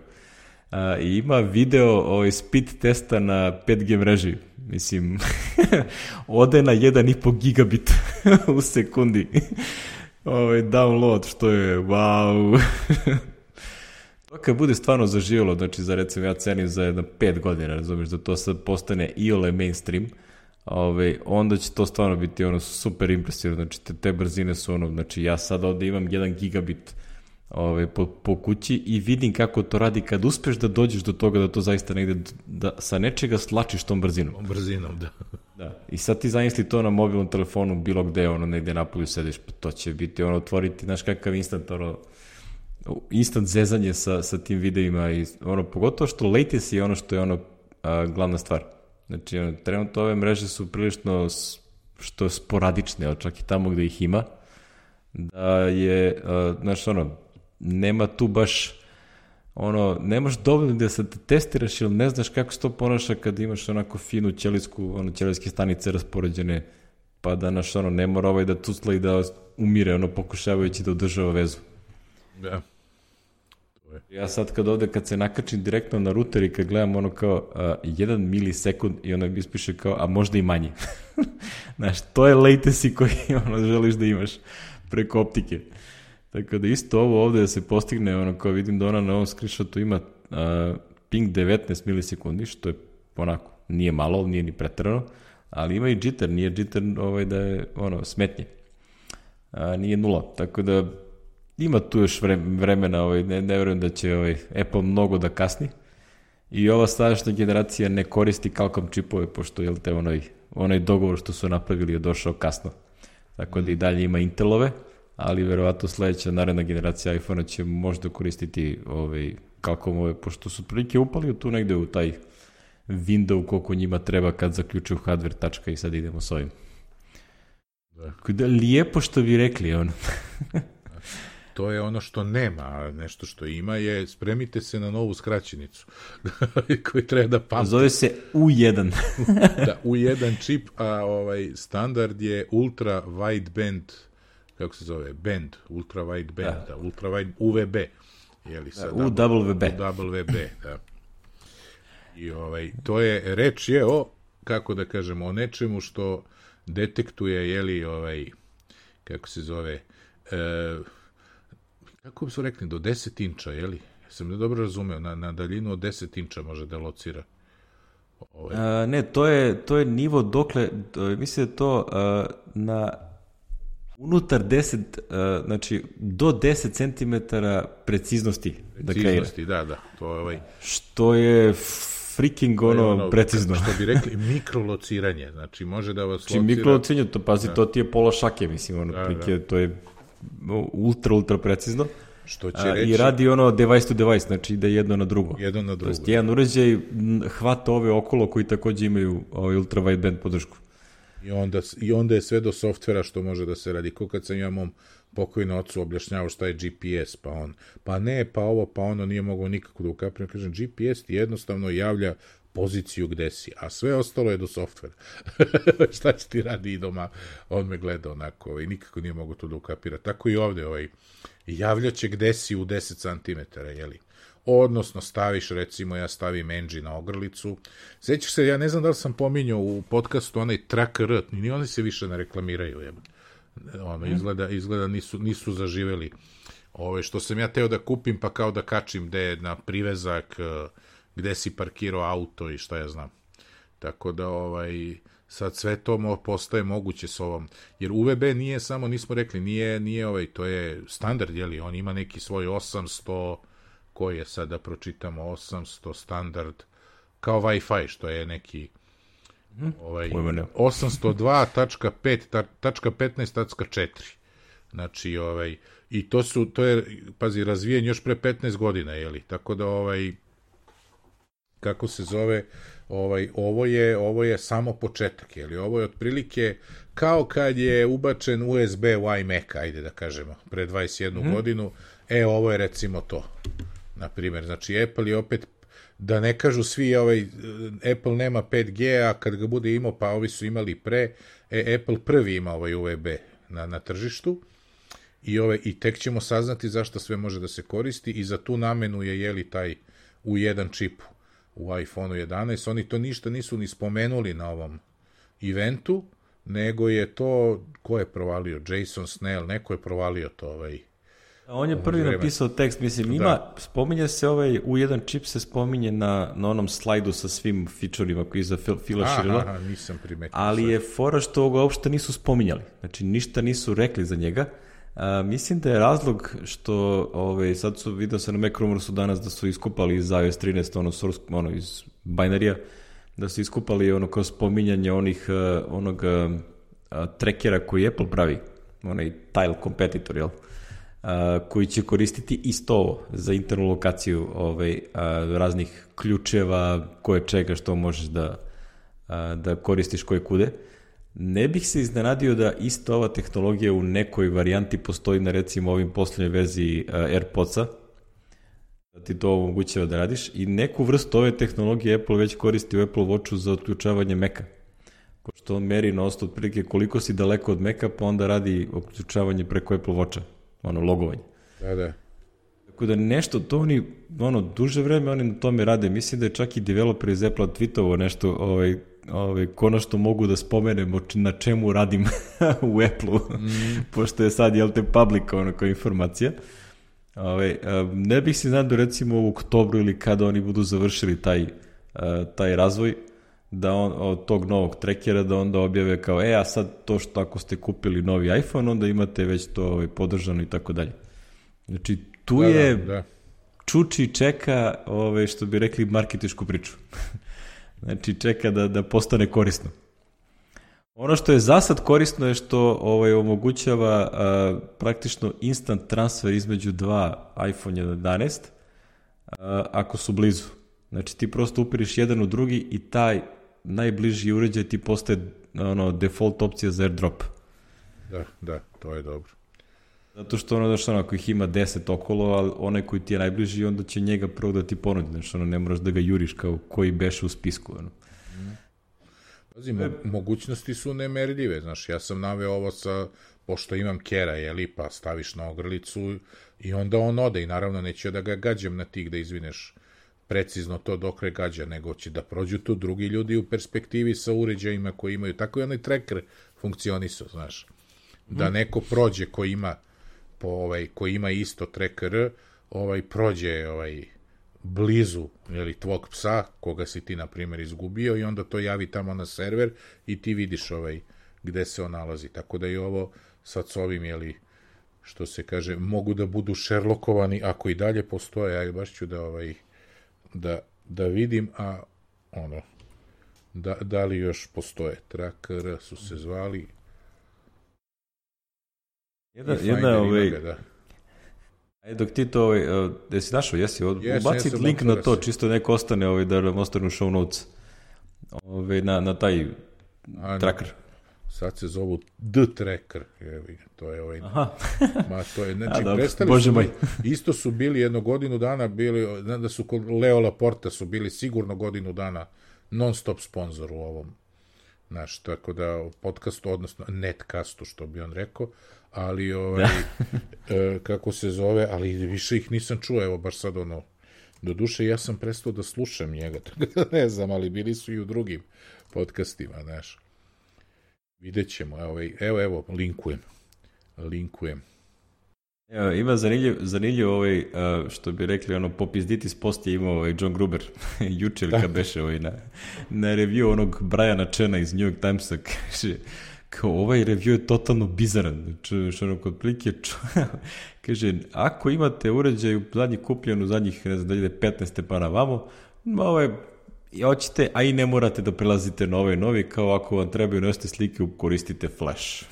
Uh, I ima video ovaj, speed testa na pet G mreži. Mislim, ode na jedan i po gigabit u sekundi. Ovaj download, što je, wow. To kad bude stvarno zaživjelo, znači za recimo ja cenim za jedno pet godina, razumiješ, da to sad postane iole mainstream, ovaj, onda će to stvarno biti ono super impresivno, znači te, te brzine su ono, znači ja sad ovde imam jedan gigabit ovaj, po, po kući i vidim kako to radi kad uspeš da dođeš do toga da to zaista negde, da sa nečega slačiš tom brzinom. Brzinom, da. Da. I sad ti zamisli to na mobilnom telefonu bilo gde, ono, negde napolju sediš, pa to će biti, ono, otvoriti, znaš kakav instant, ono, instant zezanje sa, sa tim videima i, ono, pogotovo što latency je ono što je, ono, a, glavna stvar. Znači, ono, trenutno ove mreže su prilično, što je sporadične, čak i tamo gde ih ima, da je, a, znaš, ono, nema tu baš, ono, nemaš dovoljno da se te testiraš ili ne znaš kako se to ponaša kad imaš onako finu ćelijsku, ono, ćelijske stanice raspoređene, pa da, naš, ono, ne mora ovaj da tucla i da umire, ono, pokušavajući da održava vezu. Da. Ja sad kad ovde, kad se nakačim direktno na ruter i kad gledam ono kao uh, jedan milisekund i ono ispiše kao, a možda i manje. Znaš, to je latency koji ono, želiš da imaš preko optike. Tako da isto ovo ovde da se postigne, ono kao vidim da ona na ovom screenshotu ima uh, ping devetnaest milisekundi, što je onako, nije malo, nije ni preterano, ali ima i jitter, nije jitter ovaj, da je ono, smetnje. Uh, nije nula, tako da ima tu još vremena, ovaj, ne, ne verujem da će ovaj, Apple mnogo da kasni. I ova sadašnja generacija ne koristi Qualcomm čipove, pošto je te onaj, onaj dogovor što su napravili je došao kasno. Tako da i dalje ima Intelove, ali verovatno sledeća naredna generacija iPhone-a će možda koristiti ovaj, Qualcommove, pošto su prilike upali tu negde u taj window koliko njima treba kad zaključuju hardware tačka i sad idemo s ovim. Da. Da, lijepo što bi rekli, ono. To je ono što nema, a nešto što ima je spremite se na novu skraćenicu koji treba da pamti. Zove se U jedan. Da, U jedan čip, a ovaj standard je ultra wideband, kako se zove, band, ultra wideband, da. Da, ultra wide U V B. Jeli, da, U W B. U W B, da. I ovaj, to je, reč je o, kako da kažemo, o nečemu što detektuje, jeli, ovaj, kako se zove, e, kako su rekli, do deset inča, jeli? Ja sam ne dobro razumeo, na, na daljinu od deset inča može da locira. Ovaj. A, ne, to je, to je nivo dokle, mislim da to a, na unutar deset, a, znači do deset centimetara preciznosti. Preciznosti, da, da. To je ovaj... Što je freaking ono, je ono precizno. Što bi rekli, mikrolociranje, znači može da vas locira... Znači mikrolociranje, to pazi, da. To ti je pola šake, mislim, ono, da, prike, da. To je ultra, ultra precizno. Što će reći... I radi ono device to device, znači ide jedno na drugo. Jedno na drugo. To je jedan uređaj hvata ove okolo koji takođe imaju ovaj ultra wideband podršku. I onda, I onda je sve do softvera što može da se radi. Ko kad sam ja mom pokojnom ocu objašnjavao šta je G P S, pa on, pa ne, pa ovo, pa ono, nije mogao nikako da ukapiram. Kažem, G P S ti jednostavno javlja poziciju gde si, a sve ostalo je do softvera. Šta će ti radi i doma? On me gleda onako, ovaj, nikako nije mogao to da ukapira. Tako i ovde, ovaj, javljaće gde si u deset centimetara, jeli? Odnosno, staviš, recimo, ja stavim engine na ogrlicu. Sećaš se, ja ne znam da li sam pominjao u podcastu onaj tracker, ni oni se više ne reklamiraju, jel? Ono, izgleda, izgleda nisu, nisu zaživeli. Ove, što sam ja teo da kupim, pa kao da kačim gde je na privezak, gde si parkirao auto i šta ja znam. Tako da, ovaj, sad sve to mo, postaje moguće s ovom. Jer U V B nije samo, nismo rekli, nije, nije ovaj, to je standard, jeli, on ima neki svoj osamsto, koji je sad da pročitamo, osamsto standard, kao Wi-Fi, što je neki ovaj, osamsto dva tačka pet tačka petnaest tačka četiri. Znači, ovaj, i to su, to je, pazi, razvijen još pre petnaest godina, jeli, tako da, ovaj, kako se zove, ovaj, ovo je, ovo je samo početak, jeli, ovo je otprilike kao kad je ubačen U S B u iMac, ajde da kažemo, pre dvadeset jednu mm. godinu, e, ovo je recimo to, na primjer, znači, Apple je opet, da ne kažu svi, ovaj, Apple nema pet G, a kad ga bude imao, pa ovi su imali pre, e, Apple prvi ima ovaj U V B na, na tržištu, i, ove, i tek ćemo saznati zašto sve može da se koristi i za tu namenu je, jeli, taj U jedan čip u iPhone jedanaest. Oni to ništa nisu ni spomenuli na ovom eventu, nego je to, ko je provalio? Jason Snell, neko je provalio to. Ovaj, On je prvi vreme. napisao tekst, mislim, ima, da. spominje se ovaj U jedan čip se spominje na, na onom slajdu sa svim feature-ima koji je za Phila Schiller, aha, nisam primetio. Ali sve. Je fora što ga uopšte nisu spominjali, znači ništa nisu rekli za njega. A, mislim da je razlog što ovaj, sad su, vidio se na Mac Rumorsu danas da su iskupali iz iOS trinaest, ono, source, ono iz binarija, da su iskupali ono kao spominjanje onih, uh, onog uh, trackera koji Apple pravi, onaj tile competitor, jel? Uh, koji će koristiti isto ovo za internu lokaciju ovaj, uh, raznih ključeva, koje čega što možeš da, uh, da koristiš koje kude. Ne bih se iznenadio da isto ova tehnologija u nekoj varijanti postoji na recimo ovim poslednjoj verziji uh, AirPodsa, da ti to omogućava da radiš, i neku vrstu ove tehnologije Apple već koristi u Apple Watchu za otključavanje Maca. Pošto on meri na osnovu otprilike koliko si daleko od Maca, pa onda radi otključavanje preko Apple Watcha, ono logovanje. Da, da. Tako da nešto, to oni, ono, duže vreme oni na tome rade. Mislim da je čak i developer iz Apple tweetovo nešto, ovaj, ovaj, konačno mogu da spomenemo na čemu radim u Apple-u, mm. pošto je sad, jel te, public, ono, kao informacija. Ovaj, ne bih se nadao recimo u oktobru ili kada oni budu završili taj, taj razvoj, da on, od tog novog trackera, da onda objave kao, e, a sad to što ako ste kupili novi iPhone, onda imate već to ovaj, podržano i tako dalje. Znači, tu da, je da, da. čuči čeka, ovaj, što bi rekli, marketičku priču. Znači, čeka da, da postane korisno. Ono što je za sad korisno je što ovaj, omogućava a, praktično instant transfer između dva iPhone jedanaest a, ako su blizu. Znači, ti prosto upiriš jedan u drugi i taj najbliži uređaj ti postaje ono, default opcija za AirDrop. Da, da, to je dobro. Zato što ono, znaš, ono, ako ih ima deset okolo, ali onaj koji ti je najbliži, onda će njega prvo da ti ponudi. Znači, ono, ne moraš da ga juriš kao koji beše u spisku. Ono. Mm. Pazi, mo- mogućnosti su nemerljive. Znaš, ja sam naveo ovo sa, pošto imam kera, jeli, pa staviš na ogrlicu i onda on ode i naravno neće da ga gađam na tih da izvineš precizno to dokle gađa, nego će da prođu tu drugi ljudi u perspektivi sa uređajima koji imaju. Tako i onaj tracker funkcionisao, znaš. Da neko prođe ko ima po ovaj koji ima isto tracker, ovaj prođe ovaj blizu, jeli, tvog psa koga si ti na primjer izgubio i onda to javi tamo na server i ti vidiš ovaj gde se on nalazi. Tako da i ovo sad s ovim, jeli, što se kaže, mogu da budu šerlokovani ako i dalje postoje, ja baš ću da ovaj da, da vidim, a ono da, da li još postoje. Tracker su se zvali. Jedna, jedna ovaj, da. Ajde, dok ti to, ovaj, uh, jesi našao, jesi, od, yes, ubacit yes, link na to, si. Čisto neko ostane, ovaj, da nam ostane u show notes, ovaj, na, na taj a, tracker. Sad se zovu The Tracker, jevi, to je ovaj, aha. ma to je, znači, a, prestali Bože su, moj. Isto su bili jedno godinu dana, bili, znam da su kod Leo Laporta su bili sigurno godinu dana non stop sponsor u ovom, znaš, tako da podcastu, odnosno netcastu, što bi on rekao, ali ovaj, e, kako se zove, ali više ih nisam čuo, evo baš sad ono, do duše ja sam prestao da slušam njega, tako da ne znam, ali bili su i u drugim podcastima, znaš. Vidjet ćemo, evo, evo, evo, linkujem, linkujem. Evo, ima zanimljiv, zanimljiv ovaj, uh, što bi rekli, ono, popizditis post je imao ovaj John Gruber, juče ili kad beše ovaj, na, na review onog Briana Chena iz New York Timesa, kaže, kao ovaj review je totalno bizaran, što ono, kod prilike, kaže, ako imate uređaj u zadnji kupljen u zadnjih, ne znam, da ide petnaest pa na vamo, ovaj, i hoćete, a i ne morate da prelazite na ovaj novi, kao ako vam trebaju nosite slike, koristite Flash.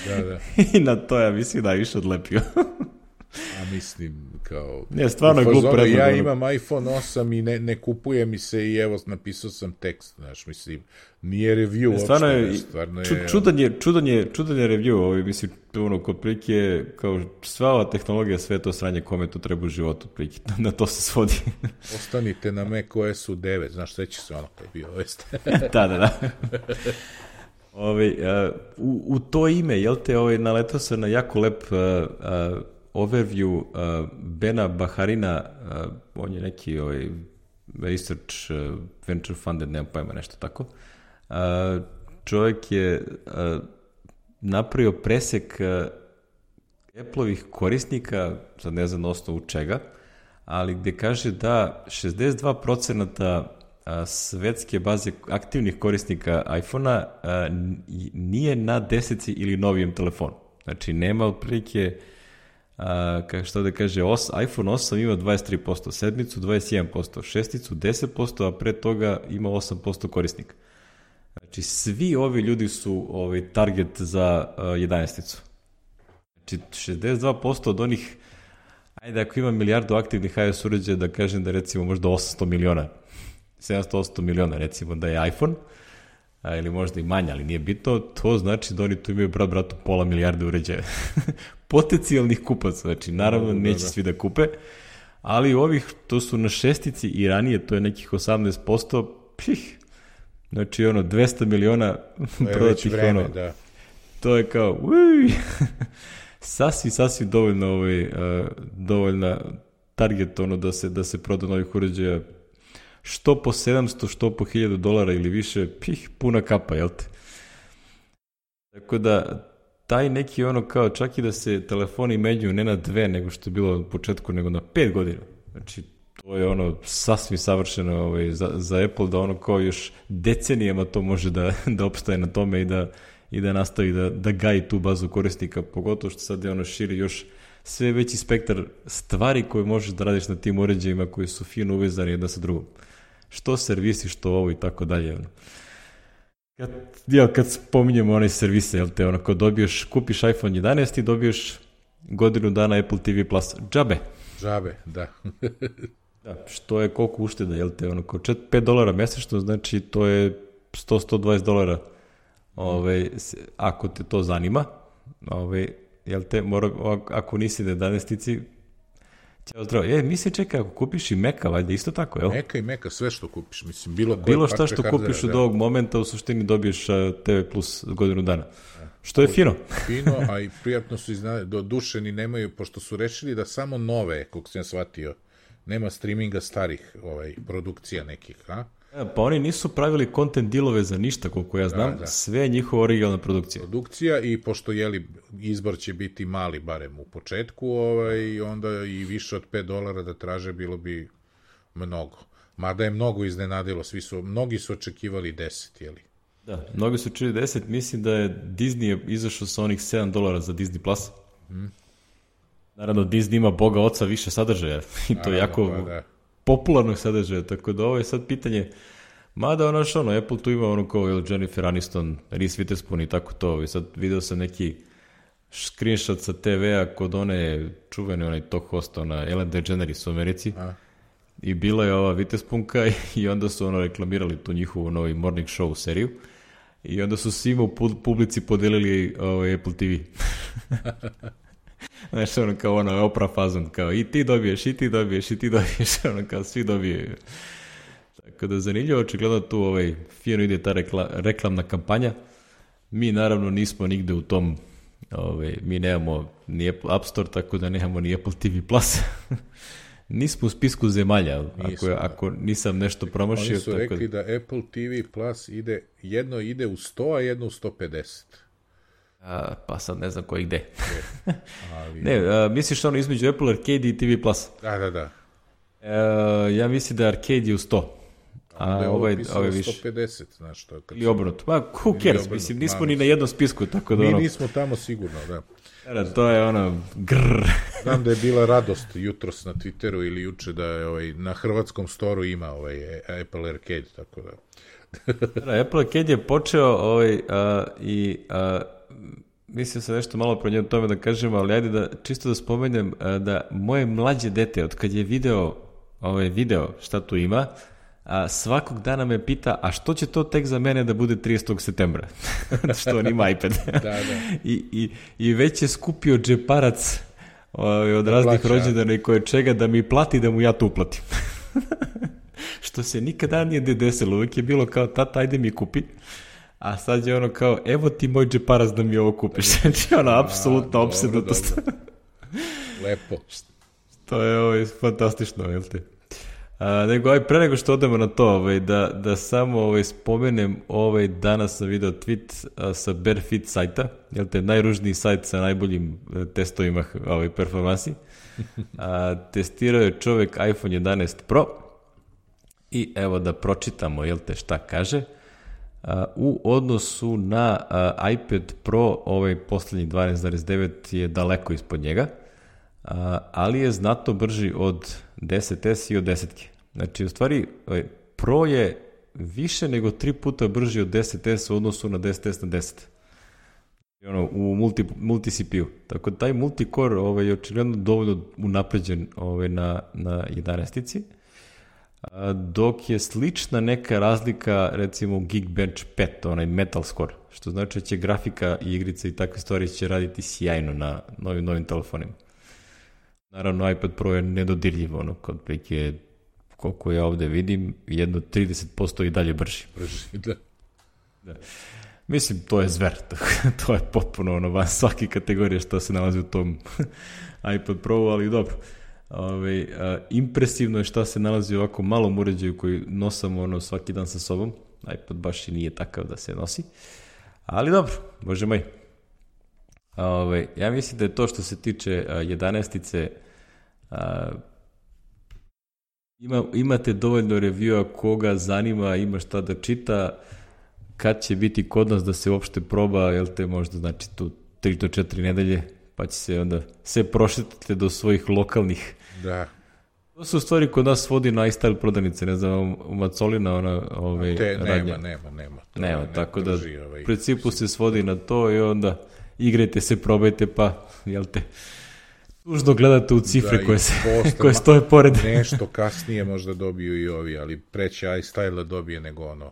Da, da. I na to ja mislim da je više odlepio. A mislim, kao... Ne, stvarno je glup predlog. Ja imam iPhone osam i ne, ne kupuje mi se i evo, napisao sam tekst, znaš, mislim, nije review ne, stvarno uopšte, je, ne, stvarno je... Ču, čudan je, čudan je, čudan je review, ovaj, mislim, ono, kod prilike, kao sva ova tehnologija, sve to sranje, kome to treba u životu, prilike, na to se svodi. Ostanite na macOS-u devet, znaš, sve će se ono kao bio, jeste. Da, da, da. Ove, uh, u, u to ime, jel te, ovaj, naletao sam na jako lep uh, uh, overview uh, Bena Baharina, uh, on je neki ovaj, research uh, venture funded, nemam pojma, nešto tako. Uh, čovjek je uh, napravio presek uh, Apple-ovih korisnika, sad ne znam na osnovu čega, ali gde kaže da šezdeset dva procenta svetske baze aktivnih korisnika iPhone-a nije na deseci ili novijem telefonu. Znači, nema otprilike, kako što da kaže, os, iPhone osam ima dvadeset tri posto, sedmicu dvadeset jedan posto, šesticu deset posto, a pre toga ima osam posto korisnika. Znači, svi ovi ljudi su ovaj, target za uh, jedanaesticu. Znači, šezdeset dva posto od onih, ajde, ako ima milijardu aktivnih iOS uređaja, da kažem da recimo možda osamsto miliona, sedamsto osamsto miliona recimo da je iPhone, a, ili možda i manje, ali nije bitno, to znači da oni tu imaju brat bratu pola milijarde uređaja. Potencijalnih kupaca, znači naravno da, neće da, da. svi da kupe, ali ovih, to su na šestici i ranije, to je nekih osamnaest posto, pih, znači ono, dvesta miliona prodatih, vreme, ono, da. To je kao, uj, sasvim, sasvim dovoljno, ovaj, uh, dovoljna target, ono, da se, da se proda novih uređaja, što po sedamsto, što po hiljadu dolara ili više, pih, puna kapa, jel te? Tako da, taj neki ono kao, čak i da se telefoni menjuju ne na dve, nego što je bilo u početku, nego na pet godina. Znači, to je ono sasvim savršeno ovaj, za, za Apple, da ono kao još decenijama to može da, da opstaje na tome i da, i da nastavi da, da gaji tu bazu korisnika, pogotovo što sad je ono širi još sve veći spektar stvari koje možeš da radiš na tim uređajima koji su fino uvezani jedna sa drugom. Što servisi, što ovo i tako dalje. Kad, jel, kad spominjemo onaj servise, jel te, ono, kad dobiješ, kupiš iPhone jedanaest i dobiješ godinu dana Apple T V Plus. Džabe. Džabe, da. Da, što je koliko ušteda, jel te, ono, kao pet dolara mesečno, znači to je sto do sto dvadeset dolara, ove, ako te to zanima, ove, jel te, mora, ako nisi na jedanaestici, ćao zdravo. E, mislim, čekaj, ako kupiš i Meka, valjda isto tako, jel? Meka i Meka, sve što kupiš, mislim, bilo koje bilo šta što kupiš od ovog momenta, u suštini dobiješ T V Plus godinu dana. Što je fino. Fino, a i prijatno su iznali, do duše ni nemaju, pošto su rešili da samo nove, koliko sam shvatio, nema streaminga starih ovaj, produkcija nekih, a? Ja, pa oni nisu pravili content dealove za ništa, koliko ja znam, da, da. Sve je njihova originalna produkcija. Produkcija i pošto jeli, izbor će biti mali, barem u početku, ovaj, onda i više od pet dolara da traže bilo bi mnogo. Mada je mnogo iznenadilo, svi su, mnogi su očekivali deset, jeli? Da, mnogi su očekivali deset, mislim da je Disney izašao sa onih sedam dolara za Disney Plus. Hmm. Naravno, Disney ima Boga oca više sadržaja i to Naravno, jako pa, da. popularnog sadržaja, tako da ovo je sad pitanje, mada ono što ono, Apple tu ima ono kao Jennifer Aniston, Reese Witherspoon i tako to, i sad video sam neki screenshot sa te ve-a kod one čuvene, onaj talk host, ona Ellen DeGeneres u Americi, a? I bila je ova Witherspoonka i onda su ono reklamirali tu njihovu novi morning show seriju i onda su svima u publici podelili ovaj Apple T V. Znaš, ono kao ono Oprah fazon, kao i ti dobiješ, i ti dobiješ, i ti dobiješ, ono kao svi dobijaju. Tako da zanimljivo, očigledno tu ovaj, fino ide ta rekla, reklamna kampanja. Mi naravno nismo nigde u tom, ovaj, mi nemamo ni Apple App Store, tako da nemamo ni Apple T V Plus. Nismo u spisku zemalja, ako, ako nisam nešto promašio. Oni su tako rekli da Apple T V Plus ide, jedno ide u sto, a jedno u sto pedeset. A, pa sad ne znam koji gde. Ali... ne, a, misliš ono između Apple Arcade i T V Plus? Da, da, da. E, ja mislim da Arcade je u sto. A onda ovaj, ovaj više. sto pedeset, znaš to. Ili obrnuto. Pa, who cares? Mislim, nismo ni na jednom spisku, tako da Mi ono... nismo tamo sigurno, da. Da, to je ono, grrr. Znam da je bila radost jutros na Twitteru ili juče da je ovaj, na hrvatskom storu ima ovaj Apple Arcade, tako da... da, Apple Arcade je počeo ovaj, a, i a, mislim se nešto malo pro njemu tome da kažem, ali ajde da čisto da spomenem a, da moje mlađe dete, od kad je video, ovaj, video šta tu ima, a svakog dana me pita, a što će to tek za mene da bude tridesetog septembra? što on ima iPad. da, da. I, i, I već je skupio džeparac ovaj, od da raznih plaća. Rođendana i koje čega da mi plati da mu ja to uplatim. što se nikada nije desilo. Uvijek je bilo kao, tata, ajde mi kupi. A sad je ono kao, evo ti moj džeparac da mi ovo kupiš. Znači ono, apsolutno opsednutost. Lepo. To je ovo, fantastično, jel te? A, nego, aj, pre nego što odemo na to, ovaj, da, da samo ovaj, spomenem, ovaj, danas sam video tweet a, sa Barefit sajta, jel te, najružniji sajt sa najboljim a, testovima ovaj, performansi. A, testirao je čovek iPhone jedanaest Pro i evo da pročitamo, jel te, šta kaže. A, u odnosu na a, iPad Pro, ovaj poslednji dvanaest zarez devet je daleko ispod njega, a, ali je znatno brži od deset es i od desetke. Znači, u stvari, Pro je više nego tri puta brži od deset es u odnosu na deset es na deset. I ono, u multi, multi C P U. Tako da taj multicore ovaj, je očigledno dovoljno unapređen ovaj, na, na jedanaestici, dok je slična neka razlika, recimo, Geekbench pet, onaj Metal Score, što znači da će grafika i igrice i takve stvari će raditi sjajno na novim, novim telefonima. Naravno, iPad Pro je nedodirljiv, ono, kod prike, koliko ja ovde vidim, jedno trideset posto i dalje brži. Brži, da. da. Mislim, to je zver, to je potpuno ono, van svake kategorije što se nalazi u tom iPad Pro, ali dobro. Ove, a, impresivno je šta se nalazi u ovako malom uređaju koji nosamo ono, svaki dan sa sobom. iPad baš i nije takav da se nosi. Ali dobro, bože moj. Ove, ja mislim da je to što se tiče jedanaestice, a, ima, imate dovoljno reviewa koga zanima, ima šta da čita, kad će biti kod nas da se uopšte proba, jel te možda znači tu tri do četiri nedelje, pa će se onda sve prošetite do svojih lokalnih. Da. To su stvari kod nas vodi na iStyle prodavnice, ne znam, u Macolina ona ove, te, radnja. Nema, nema, nema. Nema, ne tako drži, da ovaj, u principu se svodi na to i onda igrajte se, probajte, pa, jel te, tužno gledate u cifre da, koje, se, koje stoje pored. Nešto kasnije možda dobiju i ovi, ali preće iStyle dobije nego ono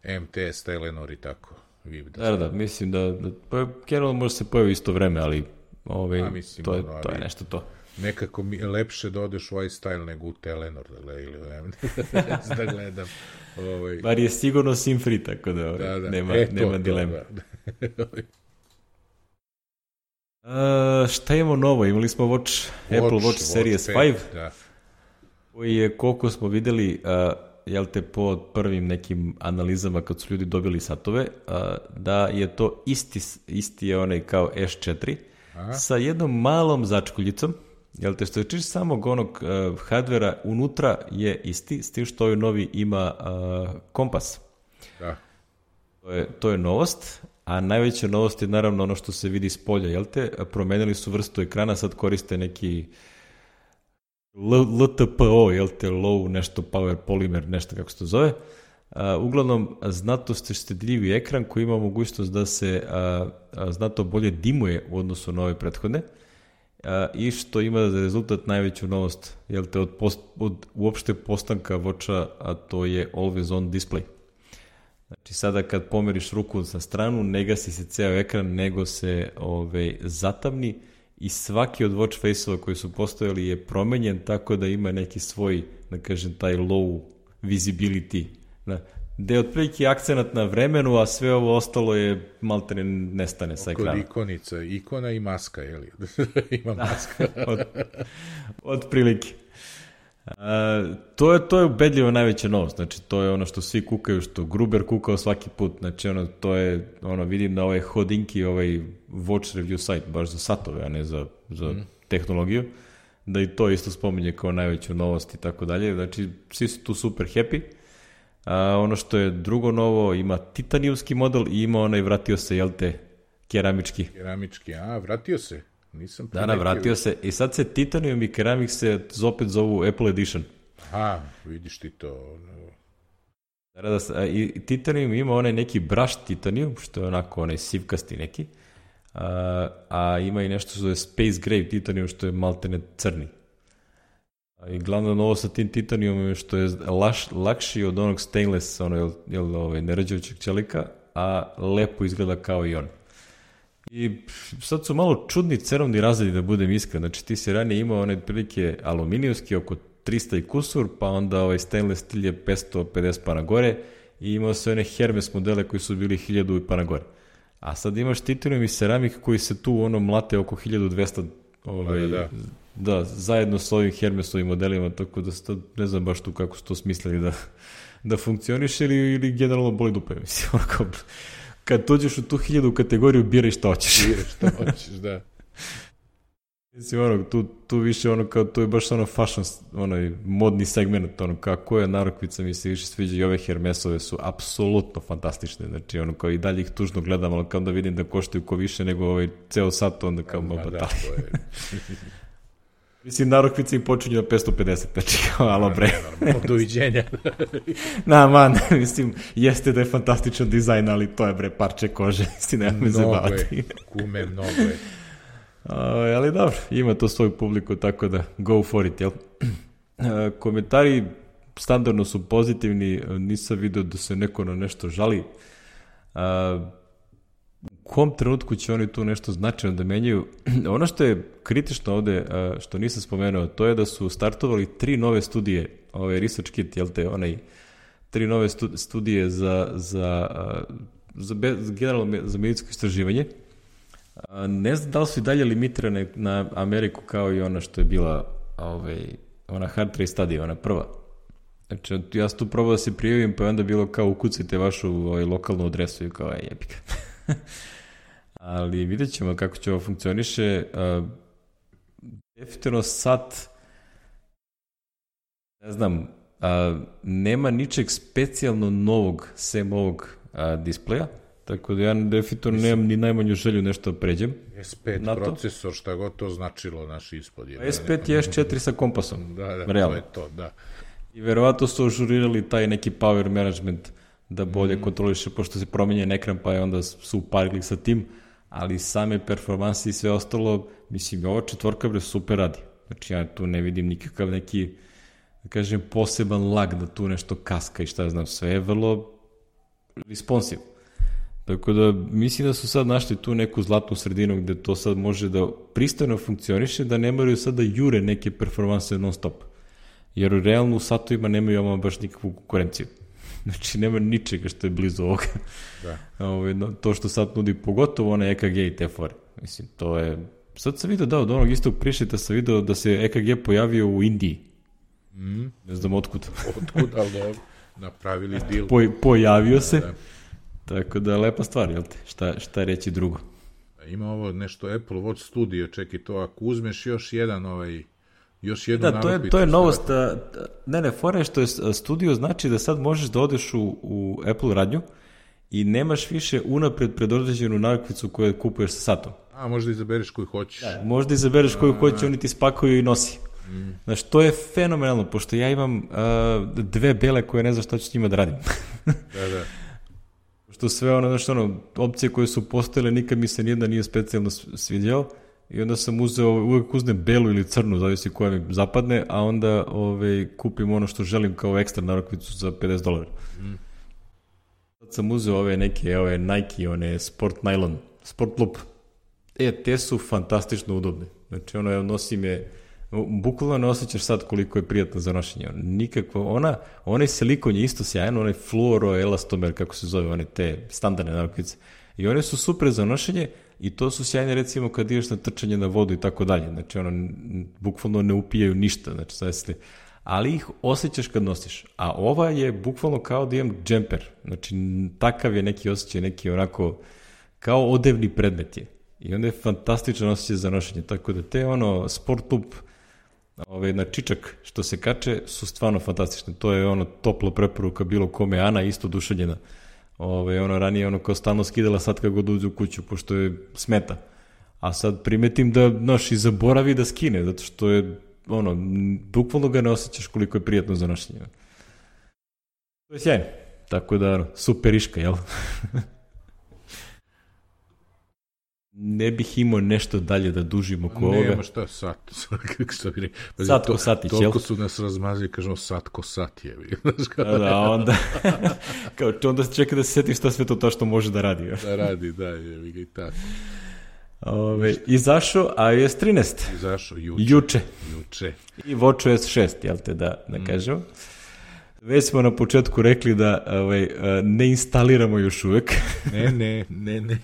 M T S, Telenor i tako. Da, da, da, mislim da, da pa, generalno može se pojavi isto vreme, ali ovaj, A, mislim, to, je, ono, to je nešto to. Nekako mi je lepše da odeš u iStyle nego u Telenor da gledam, ili da gledam. Ovaj. Bar je sigurno sim free, tako da, da, da. nema, e, to, nema dilema. Da. Uh, šta imamo novo? Imali smo Watch, Watch Apple Watch, Watch Series pet, da. Koji je, koliko smo videli, uh, jel te, po prvim nekim analizama kad su ljudi dobili satove, uh, da je to isti, isti je onaj kao S četiri, Aha. sa jednom malom začkuljicom, jel te, što je čiš samog onog uh, hardvera unutra je isti, s tim što ovaj novi ima uh, kompas. Da. To je, to je novost. A najveća novost je naravno ono što se vidi s polja, jel te? Promenili su vrstu ekrana, sad koriste neki L T P O, jel te? Low nešto power polymer, nešto kako se to zove. Uh, uglavnom, znatno ste štedljivi ekran koji ima mogućnost da se uh, uh, znatno bolje dimuje u odnosu na ove prethodne uh, i što ima za rezultat najveću novost, jel te? Od, post, od uopšte postanka Watcha, a to je Always On display. Znači sada kad pomeriš ruku na stranu, ne gasi se ceo ekran, nego se ove, zatamni i svaki od watch face-ova koji su postojali je promenjen tako da ima neki svoj, da kažem, taj low visibility. Da, gde je otprilike akcenat na vremenu, a sve ovo ostalo je maltene nestane sa ekrana. Kod ikonica, ikona i maska, je li? Ima maska. od, od prilike. A, to je to je ubedljivo najveća novost, znači to je ono što svi kukaju, što Gruber kukao svaki put, znači ono, to je, ono, vidim da ovaj Hodinki, ovaj watch review site, baš za satove, a ne za, za mm. tehnologiju, da i to isto spominje kao najveću novost i tako dalje, znači svi su tu super happy. A, ono što je drugo novo, ima titanijumski model i ima onaj, vratio se, jel te, keramički. Keramički, a, vratio se. Nisam da, da, vratio se. I sad se Titanium i Keramik se opet zovu Apple Edition. Aha, vidiš ti to. Da, da, a, i Titanium ima onaj neki brush Titanium, što je onako onaj sivkasti neki, a, a ima i nešto što je Space Gray Titanium, što je maltene crni. A, i glavno novo sa tim Titaniumom je što je laš, lakši od onog stainless, ono, jel, jel, ovaj, nerađujućeg čelika, a lepo izgleda kao i on. I sad su malo čudni cenovni razredi, da budem iskren. Znači ti si ranije imao one prilike aluminijumski oko trista i kusur, pa onda ovaj stainless stil je petsto pedeset pa na gore i imao se one Hermes modele koji su bili hiljadu pa na gore. A sad imaš titanium i ceramik koji se tu ono mlate oko hiljadu dvesta ovaj, da, da. da, zajedno s ovim Hermesovim modelima, tako da sad ne znam baš tu kako su to smislili da, da funkcioniš ili, ili generalno boli dupe, mislim, onako. Kad dođeš u tu hiljadu kategoriju, biraj šta hoćeš. Biraj šta hoćeš, da. Mislim, ono, tu, tu više ono, kao, tu je baš ono fashion, onaj modni segment, ono, kako je narukvica mi se više sviđa i ove Hermesove su apsolutno fantastične, znači, ono, kao i dalje ih tužno gledam, ali kao da vidim da koštaju ko više nego ovaj ceo sat, onda kao malo batali. Mislim, narukvice im počinju na petsto pedeset, znači, kao, alo bre. Doviđenja. Na, man, mislim, jeste da je fantastičan dizajn, ali to je, bre, parče kože, mislim, nema me zabavati. Mnogo je, kume, mnogo je. Uh, ali dobro, ima to svoju publiku, tako da go for it, jel? Uh, komentari standardno su pozitivni, nisam vidio da se neko na nešto žali. Uh, u kom trenutku će oni tu nešto značajno da menjaju? Ono što je kritično ovde, uh, što nisam spomenuo, to je da su startovali tri nove studije, ovaj research kit, jel te, onaj, tri nove studije za, za, uh, za, be, za generalno za medicinsko istraživanje. Ne znam da li su i dalje limitirane na Ameriku kao i ona što je bila ovaj, ona hard trace study, ona prva. Znači, ja sam tu probao da se prijavim, pa je onda bilo kao ukucajte vašu ovaj, lokalnu adresu i kao, aj, jebika. Ali vidjet ćemo kako će ovo funkcioniše. Uh, definitivno sad, ne znam, uh, nema ničeg specijalno novog sem ovog uh, displeja. Tako da ja definitivno nemam ni najmanju želju nešto da pređem. es pet procesor, šta god to značilo naš ispod. Je, es pet je es četiri sa kompasom. Da, da, realno. to je to, da. I verovatno su ažurirali taj neki power management da bolje mm. kontroliše, pošto se promenjen ekran, pa je onda su uparili sa tim, ali same performanse i sve ostalo, mislim, ova četvorka bre super radi. Znači ja tu ne vidim nikakav neki, da kažem, poseban lag da tu nešto kaska i šta znam, sve je vrlo responsive. Tako da mislim da su sad našli tu neku zlatnu sredinu gde to sad može da pristojno funkcioniše, da ne moraju sad da jure neke performanse non stop. Jer u realno u satovima nemaju ama baš nikakvu konkurenciju. Znači nema ničega što je blizu ovoga. Da. Ove, no, to što sad nudi, pogotovo one E K G i te fore. Mislim, to je... Sad sam vidio da od onog istog prišeta sam vidio da se E K G pojavio u Indiji. Mm. Ne znam otkud. Otkud, ali dobro. Napravili deal. Po, pojavio se. Da, da. Tako da je lepa stvar, jel te? Šta, šta reći drugo? Ima ovo nešto Apple Watch Studio, čekaj to, ako uzmeš još jedan ovaj, još jednu da, to je, to je novost, a, ne, ne, fora je što je studio znači da sad možeš da odeš u, u Apple radnju i nemaš više unapred predodređenu narukvicu koju kupuješ sa satom. A, možda izabereš koju hoćeš. Da, možda izabereš koju hoćeš, oni ti spakuju i nosi. Mm. Znači, to je fenomenalno, pošto ja imam uh, dve bele koje ne znam šta ću s njima da radim. Da, da. Što sve ono, znači ono, opcije koje su postojele, nikad mi se nijedna nije specijalno svidjela i onda sam uzeo, uvek uznem belu ili crnu, zavisi koja mi zapadne, a onda ove, kupim ono što želim kao ekstra narukvicu za pedeset dolara. Mm. Sad sam uzeo ove neke, ove Nike, one Sport Nylon, Sport Loop. E, te su fantastično udobne. Znači, ono, nosim je, bukvalno ne osjećaš sad koliko je prijatno za nošenje. Nikakvo, ona, onaj silikon je isto sjajan, onaj fluoroelastomer, kako se zove, one te standardne narukvice. I one su super za nošenje i to su sjajne recimo kad ideš na trčanje na vodu i tako dalje. Znači, ono, bukvalno ne upijaju ništa, znači, sad ste, ali ih osjećaš kad nosiš. A ova je bukvalno kao da imam džemper. Znači, takav je neki osjećaj, neki onako, kao odevni predmet je. I onda je fantastičan osjećaj za nošenje. Tako da te ono, sport loop, ove, na čičak što se kače, su stvarno fantastične. To je ono topla preporuka bilo kome. Ana isto duševljena. Ove, ono ranije ono kao stalno skidala, sad kad god uđe u kuću, pošto je smeta. A sad primetim da, znaš, i zaboravi da skine, zato što je, ono, bukvalno ga ne osjećaš koliko je prijatno za nošenje. To je sjajno. Tako da, ono, superiška, jel? Ne bih imao nešto dalje da dužim oko ovoga. Nema šta, sat. Što bi rekao. Sat ko satić, jel? Toliko su nas razmazili, kažemo sat ko sat je. Da, da, onda, kao, onda čeka da se seti šta sve to to što može da radi. Ja. Da radi, da, je i tako. Ove, izašao i o es trinaest. Izašao juče. Juče. Juče. I watchOS šest, jel te, da, da kažemo. Mm. Već smo na početku rekli da ovaj, ne instaliramo još uvek. Ne, ne, ne, ne.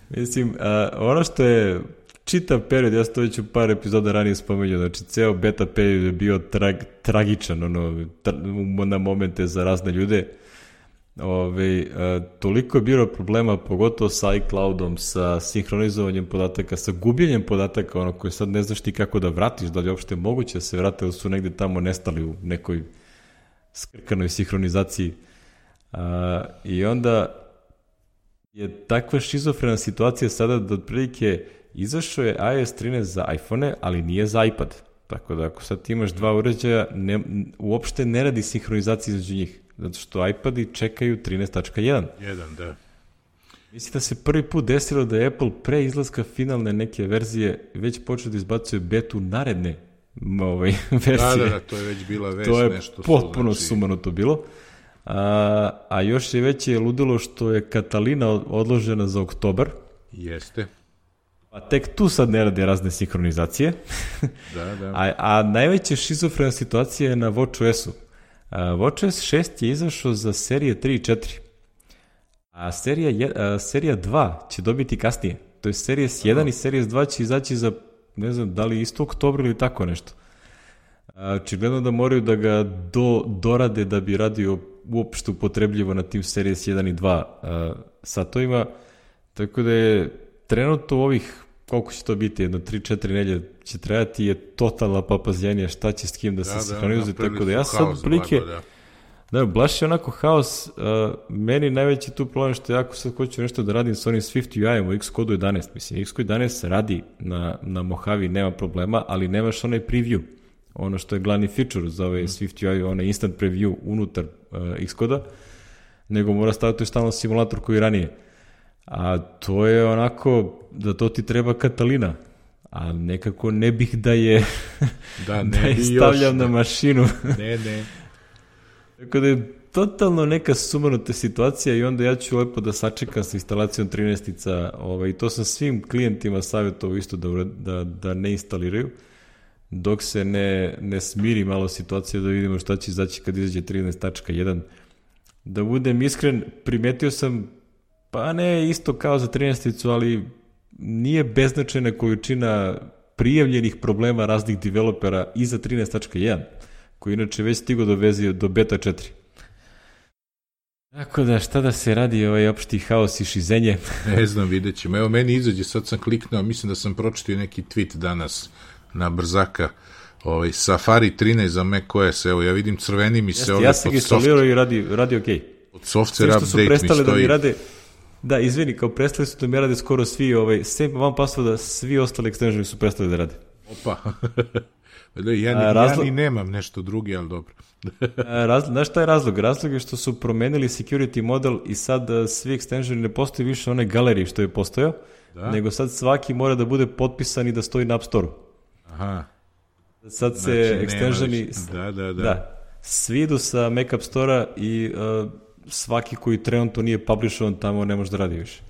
Mislim, a, ono što je čitav period, ja sam to već u par epizoda ranije spomenuo, znači ceo beta period je bio trag, tragičan ono, tra, na momente za razne ljude. Ove, a, toliko je bilo problema, pogotovo sa iCloudom, sa sinhronizovanjem podataka, sa gubljenjem podataka, ono koje sad ne znaš ti kako da vratiš, da li je uopšte moguće da se vrate, ili su negde tamo nestali u nekoj skrkanoj sinhronizaciji. A, I onda je takva šizofrena situacija sada da otprilike izašao je i o es trinaest za iPhone, ali nije za iPad. Tako da ako sad ti imaš dva uređaja, ne, uopšte ne radi sinhronizacija između njih. Zato što iPadi čekaju trinaest tačka jedan. jedan, da. Mislim da se prvi put desilo da je Apple pre izlaska finalne neke verzije već počeo da izbacuje betu naredne ovaj, verzije. Da, da, da, to je već bila vest. To je nešto potpuno su, znači... sumanuto bilo. A, a još je veće ludilo što je Catalina odložena za oktobar. Jeste. Pa tek tu sad ne rade razne sinhronizacije. Da, da. A, a najveća šizofrena situacija je na watchOS-u. watchOS šest je izašao za serije tri i četiri. A serija, je, a, serija dva će dobiti kasnije. To je Series jedan i Series dva će izaći za, ne znam, da li isto oktober ili tako nešto. Očigledno da moraju da ga do, dorade da bi radio uopšte upotrebljivo na tim Series jedan i dva uh, satovima, tako da je trenutno ovih, koliko će to biti, jedno tri četiri nelje će trajati, je totalna papazjanija šta će s kim da se da, sinhronizuje, da, tako da ja sad plike, da, da blaš je onako haos, uh, meni najveći tu problem što ja ako sad hoću nešto da radim s onim Swift U I-om u Xcode jedanaest, mislim, Xcode jedanaest radi na, na Mojave, nema problema, ali nemaš onaj preview, ono što je glavni feature za ovaj mm. Swift U I, onaj instant preview unutar uh, Xcoda, nego mora staviti stalno simulator koji ranije. A to je onako, da to ti treba Catalina, a nekako ne bih da je, da, ne da je stavljam još, na mašinu. Ne, ne. Tako da je totalno neka sumanuta situacija i onda ja ću lepo da sačekam sa instalacijom trinaestica, ovaj, i to sam svim klijentima savjetovao isto da, da, da ne instaliraju, dok se ne, ne smiri malo situacija da vidimo šta će izaći kad izađe trinaest tačka jedan. Da budem iskren, primetio sam, pa ne isto kao za trinaesticu, ali nije beznačajna količina prijavljenih problema raznih developera i za trinaest tačka jedan, koji inače već stigo do vezije do beta četiri. Tako da, šta da se radi ovaj opšti haos i šizenje? Ne znam, vidjet ćemo. Evo, meni izađe, sad sam kliknuo, mislim da sam pročitao neki tweet danas na brzaka, ovaj, Safari trinaest za macOS, evo, ja vidim crveni mi se Jeste, ovdje ja sam ga instalirao i radi, radi ok. Od software update mi stoji. Da mi rade, da, izvini, kao prestali su da mi rade skoro svi, ovaj, sem one passworda, svi ostali extensioni su prestali da rade. Opa, ja, ni, razlog... ja ni nemam nešto drugi, ali dobro. Raz, znaš šta je razlog? Razlog je što su promenili security model i sad svi extensioni ne postoji više onaj galeriji što je postojao, da? Nego sad svaki mora da bude potpisan i da stoji na App Store-u. Aha. Sad se znači, extensioni... Da, da, da. da. Svi idu sa Mac App Store-a i uh, svaki koji trenutno nije publishovan tamo ne može da radi više.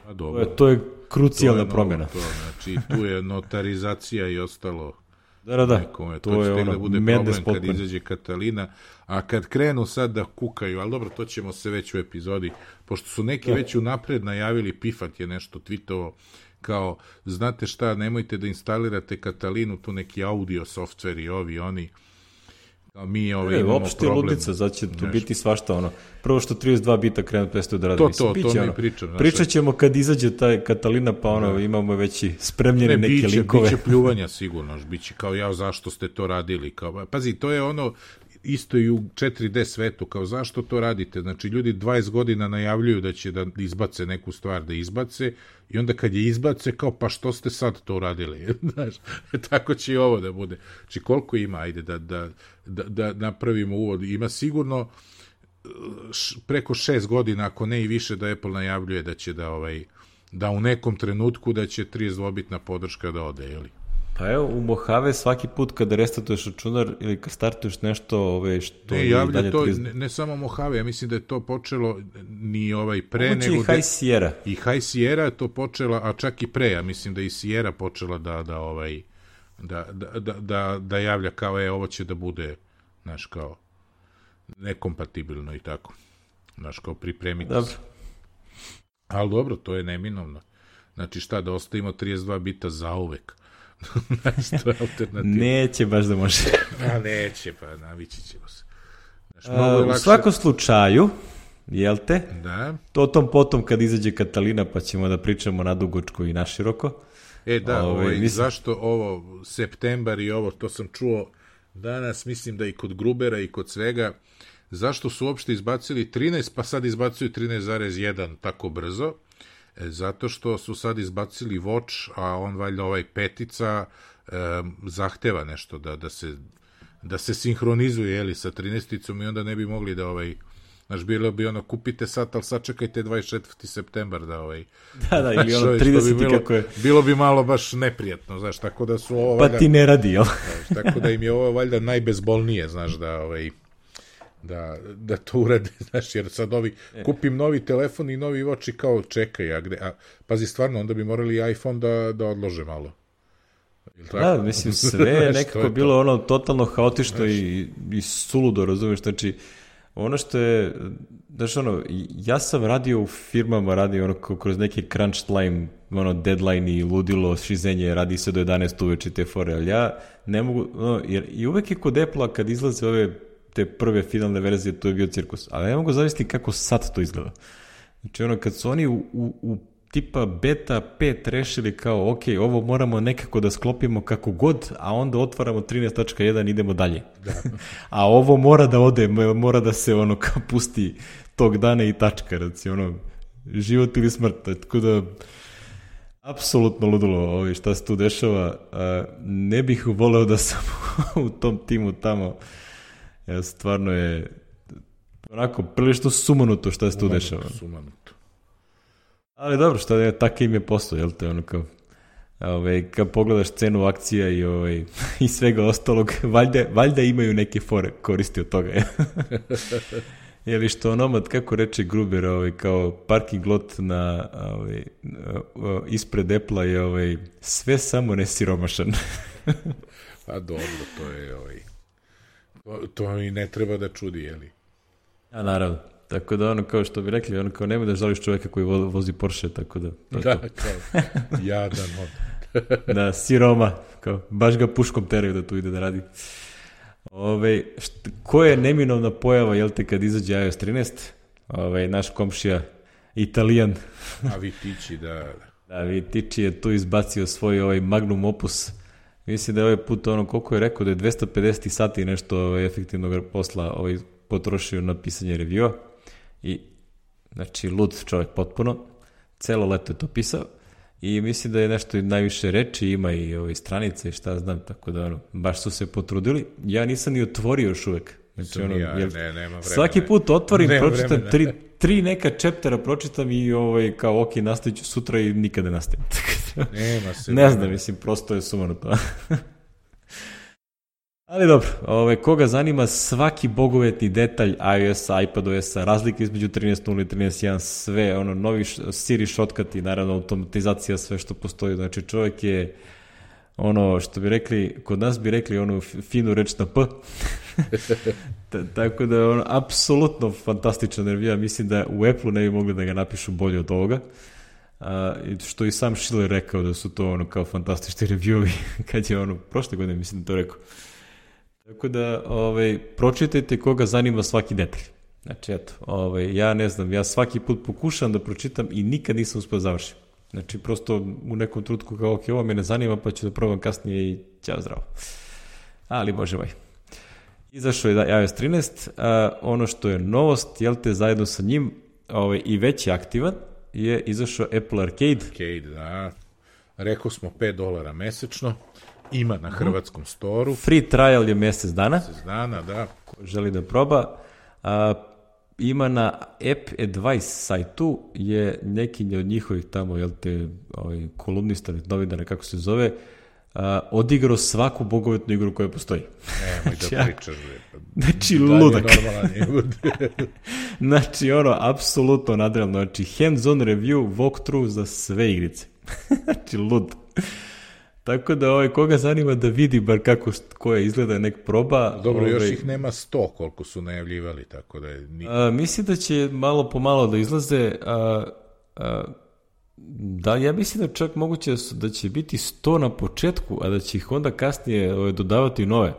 A dobro. To je, to je krucijalna to je promjena. To, znači, tu je notarizacija i ostalo. Da, da, da. Nekome. To, to je ono, da bude problem kad izađe Catalina, a kad krenu sad da kukaju, ali dobro, to ćemo se već u epizodi, pošto su neki da. već unapred najavili, Pifat je nešto tweetovo, kao, znate šta, nemojte da instalirate Katalinu, tu neki audio software i ovi, oni, kao mi ovaj, e, imamo opšte problem. ludica, zato će tu biti svašta, ono, prvo što trideset dva bita krenu prestaju da radi. To, mislim, to, biće, to mi ono, pričam. Znaš, pričat ćemo kad izađe taj Katalina, pa ono, da. Imamo već i spremljene ne, neke biće, linkove. Biće pljuvanja sigurno, biće kao ja, zašto ste to radili, kao, pazi, to je ono, isto i u četiri D svetu, kao zašto to radite? Znači, ljudi dvadeset godina najavljuju da će da izbace neku stvar, da izbace, i onda kad je izbace, kao, pa što ste sad to uradili? Znaš, tako će i ovo da bude. Znači, koliko ima, ajde, da, da, da, da napravimo uvod. Ima sigurno š, preko šest godina, ako ne i više, da Apple najavljuje da će da, ovaj, da u nekom trenutku da će trideset dva bitna podrška da ode, jeli? Pa evo, u Mojave svaki put kada restartuješ računar ili kad startuješ nešto ove, što ne, je javlja dalje to, trideset... ne, ne samo Mojave, ja mislim da je to počelo ni ovaj pre Moguće nego... i High Sierra. I High Sierra je to počela, a čak i pre, ja mislim da i Sierra počela da, da, ovaj, da, da, da, da, da javlja kao, e, ovo će da bude, znaš, kao, nekompatibilno i tako. Znaš, kao, pripremiti dobro. se. Ali dobro, to je neminovno. Znači, šta, da ostavimo trideset dva bita zauvek. Neće baš da može. A neće, pa navići ćemo se. Znaš, A, u lakše... svakom slučaju, jel te? Da. To tom potom kad izađe Katalina, pa ćemo da pričamo nadugačko i naširoko. E da, Ove, ovaj, mislim... zašto ovo, septembar i ovo, to sam čuo danas, mislim da i kod Grubera i kod svega, zašto su uopšte izbacili trinaest, pa sad izbacuju trinaest zarez jedan tako brzo? Zato što su sad izbacili Watch, a on valjda ovaj petica e, zahteva nešto da, da se da se sinhronizuje, jeli, sa trinaesticom i onda ne bi mogli da ovaj, znaš, bilo bi ono, kupite sat, ali sad čekajte dvadeset četvrti septembar da ovaj... Da, da, ili ono trideseti bi bilo, kako je... Bilo bi malo baš neprijatno, znaš, tako da su ovo... Pa valjda, ti ne radi, jel? Znaš, tako da im je ovo valjda najbezbolnije, znaš, da ovaj... Da, da to urade, znaš, jer sad ovi, kupim novi telefon i novi Watch i kao čekaj, a gde, a, pazi, stvarno, onda bi morali iPhone da, da odlože malo. Da, mislim, sve je nekako je bilo to? Ono totalno haotično i, i suludo, razumiješ, znači, ono što je, znaš, ono, ja sam radio u firmama, radio ono kroz neki crunch time, ono, deadline i ludilo, šizenje, radi se do jedanaest uveče te fore, ali ja ne mogu, ono, jer i uvek je kod Apple-a kad izlaze ove te prve finalne verzije, to je bio cirkus. Ali ne mogu zavisiti kako sad to izgleda. Znači ono, kad su oni u, u, u tipa beta pet rešili kao, ok, ovo moramo nekako da sklopimo kako god, a onda otvaramo trinaest tačka jedan i idemo dalje. Da. A ovo mora da ode, mora da se ono kao pusti tog dana i tačka, znači ono, život ili smrt. Tako da, apsolutno ludilo ovo šta se tu dešava. Ne bih voleo da sam u tom timu tamo. Ja, stvarno je onako prilično sumanuto šta se tu dešava. Sumanuto. Ali dobro, šta je, tako im je posao, jel te, ono kao, ovaj, kad pogledaš cenu akcija i, ovaj, i svega ostalog, valjda, valjda imaju neke fore koristi od toga. Jeli što onomad, kako reče Gruber, ovaj, kao parking lot na, ovaj, ispred Apple-a je ovaj, sve samo nesiromašan. Pa dobro, to je ovaj... To i ne treba da čudi, jeli? A naravno. Tako da ono, kao što bi rekli, ono kao nema da žališ čovjeka koji vozi Porsche, tako da... To da, to. kao, jadan on. Da, siroma, kao, baš ga puškom teraju da tu ide da radi. Ove, št, ko je neminovna pojava, jel te, kad izađe i O S trinaest? Ove, naš komšija, Italijan. A Vitici, da... Da, Vitici je tu izbacio svoj ovaj magnum opus. Mislim da je ovaj put ono, koliko je rekao, da je dvesta pedeset sati nešto ovaj, efektivnog posla ovaj, potrošio na pisanje reviewa. I, znači, lud čovjek potpuno. Celo leto je to pisao. I mislim da je nešto najviše reči, ima i ove stranice i šta znam, tako da ono, baš su se potrudili. Ja nisam ni otvorio još uvek. Znači, ono, ja, jer, ne, nema vremena. Svaki put otvorim, nema pročitam vremena. tri, tri neka chaptera, pročitam i ovaj, kao ok, nastavit ću sutra i nikada nastavim. Nema se. Ne znam, mislim, prosto je sumanuto. Ali dobro, ove, koga zanima svaki bogovetni detalj iOS-a, iPadOS-a, razlike između trinaest nula i trinaest jedan, sve, ono, novi Siri shortcut i naravno automatizacija, sve što postoji. Znači čovjek je, ono, što bi rekli, kod nas bi rekli onu finu reč na P. Tako da je ono, apsolutno fantastičan review. Mislim da u Apple-u ne bi mogli da ga napišu bolje od ovoga. A, što i sam Schiller rekao da su to ono kao fantastični reviewovi kad je ono prošle godine mislim to rekao. Tako da ovaj, pročitajte koga zanima svaki detalj. Znači eto, ovaj, ja ne znam, ja svaki put pokušam da pročitam i nikad nisam uspio završiti. Znači prosto u nekom trutku kao ok, ovo me ne zanima pa ću da probam kasnije i ćao zdravo. Ali bože moj. Izašao je da iOS trinaest, a, ono što je novost, jel te, zajedno sa njim ovaj, i već je aktivan, je izašao Apple Arcade. Arcade, da. Rekao smo pet dolara mesečno, ima na hrvatskom storu. Free trial je mjesec dana. Mjesec dana, da. Ko želi da proba. A, ima na App Advice sajtu, je neki od njihovih tamo, jel te, ovaj, kolumnista, novinara, kako se zove, a, odigrao svaku bogovetnu igru koja postoji. Nemoj da pričaš. Znači, ludak. Znači, ono, apsolutno nadrealno. Znači, hands-on review, walkthrough za sve igrice. Znači, lud. Tako da, ovaj, koga zanima da vidi bar kako koja izgleda, nek proba. Dobro, ovaj, još ih nema sto koliko su najavljivali, tako da je... Nik... A, mislim da će malo po malo da izlaze... A, a, da, ja mislim da čak moguće da će biti sto na početku, a da će ih onda kasnije ovaj, dodavati nove.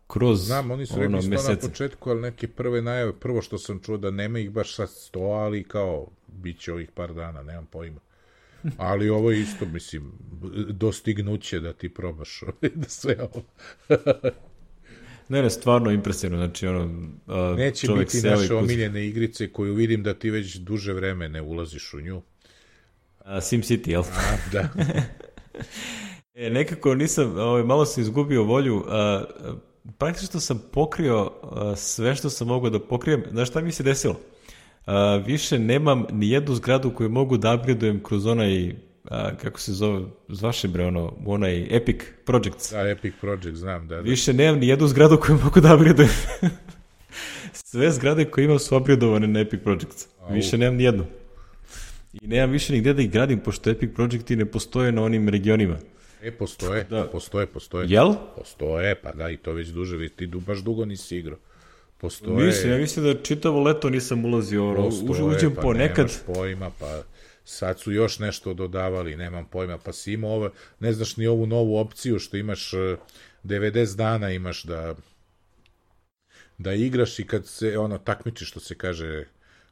Kroz Znam, oni su ono, rekli sto mesece. na početku, ali neke prve najave, prvo što sam čuo da nema ih baš sad sto, ali kao, bit će ovih par dana, nemam pojma. Ali ovo je isto, mislim, dostignuće da ti probaš da sve ovo. Ne, ne, stvarno impresivno, znači ono, a, neće biti naše omiljene igrice koju vidim da ti već duže vreme ne ulaziš u nju. A, SimCity, jel? A, da. e, nekako nisam, ovaj, malo sam izgubio volju, a, praktično sam pokrio a, sve što sam mogao da pokrijem. Znaš šta mi se desilo? A, više nemam ni jednu zgradu koju mogu da upgradeujem kroz onaj, a, kako se zove, zvaše bre ono, onaj Epic Projects. Da, Epic Project, znam, da. da. Više nemam ni jednu zgradu koju mogu da upgradeujem. Sve zgrade koje imam su upgradovane na Epic Projects. Više nemam ni jednu. I nemam više nigde da ih gradim, pošto Epic Projecti ne postoje na onim regionima. E, postoje, da. postoje, postoje. Jel? Postoje, pa da, i to već duže, ti baš dugo nisi igrao. Postoje. Mislim, ja mislim da čitavo leto nisam ulazio, ono, uđem pa ponekad. Nemaš pojma, pa sad su još nešto dodavali, nemam pojma, pa si imao ovo, ne znaš ni ovu novu opciju što imaš devedeset dana imaš da da igraš i kad se ono takmiči što se kaže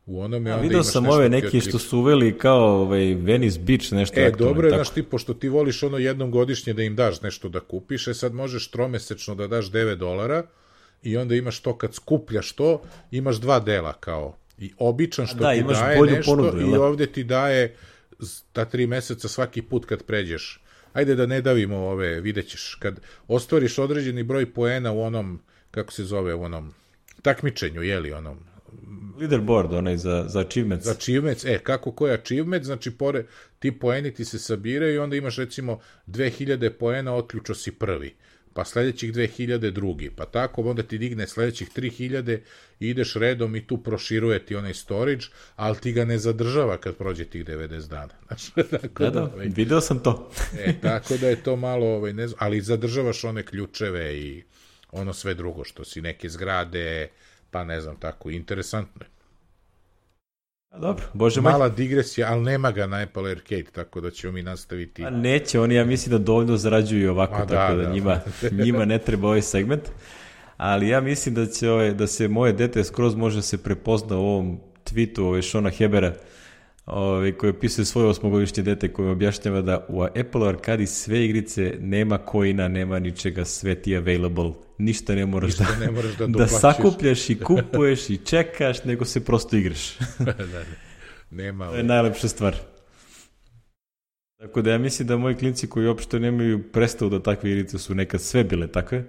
u onome, A, onda vidio imaš sam nešto ove ti neki otključ... što su uveli kao ovaj, Venice Beach, nešto E, aktualno. dobro je, tako. znaš ti, pošto ti voliš ono jednom godišnje da im daš nešto da kupiš, e sad možeš tromesečno da daš devet dolara i onda imaš to kad skupljaš to, imaš dva dela kao i običan što da, ti daje nešto ponudu, i ovde ti daje ta tri meseca svaki put kad pređeš. Ajde da ne davimo ove, vidjet ćeš, kad ostvariš određeni broj poena u onom, kako se zove, u onom takmičenju, jeli, onom leaderboard, onaj za, za achievements. Za achievements, e, kako koji achievement, znači pore, ti poeni ti se sabiraju i onda imaš recimo dve hiljade poena, otključao si prvi, pa sledećih dve hiljade drugi, pa tako onda ti digne sledećih tri hiljade i ideš redom i tu proširuje ti onaj storage, ali ti ga ne zadržava kad prođe tih devedeset dana. Znači, tako da, da, da ovaj, video sam to. e, tako da je to malo, ovaj, ne znam, ali zadržavaš one ključeve i ono sve drugo, što si neke zgrade, pa ne znam, tako, interesantno je. A dobro, bože moj. Mala digresija, ali nema ga na Apple Arcade, tako da ćemo mi nastaviti. A neće, oni ja mislim da dovoljno zarađuju ovako, A, tako da, da, da njima, njima ne treba ovaj segment. Ali ja mislim da će ovaj, da se moje dete skroz može se prepozna u ovom tweetu ovaj Šona Hebera, ovaj, koji opisuje svoje osmogodišnje dete, koji objašnjava da u Apple Arcadi sve igrice nema coina, nema ničega, sve ti available, ništa ne moraš, ništa da, ne moraš da, da sakupljaš i kupuješ i čekaš, nego se prosto igraš. da, da. Nema. To je najlepša stvar. Tako da ja mislim da moji klinci koji uopšte nemaju predstavu da takve igrice su nekad sve bile takve.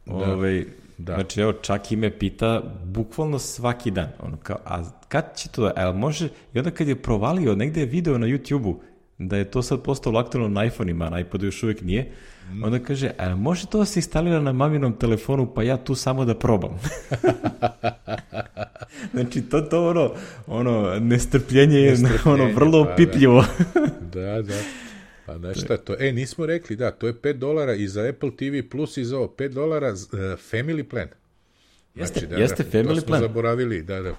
Da. Ovaj, da. Znači, evo, čak i me pita bukvalno svaki dan. Ono, kao, a kad će to da, a može, i onda kad je provalio, negde je video na YouTube-u, da je to sad postalo aktualno na iPhone-ima, na iPadu još uvijek nije, mm. onda kaže, a može to da se instalira na maminom telefonu, pa ja tu samo da probam. Znači, to, to ono, ono, nestrpljenje je ono, vrlo opipljivo. Da, da. da. Pa znaš šta to? E, nismo rekli, da, to je pet dolara i za Apple T V Plus i za ovo pet dolara uh, family plan. Jeste, znači, da, jeste da, family to smo plan. zaboravili, da, da.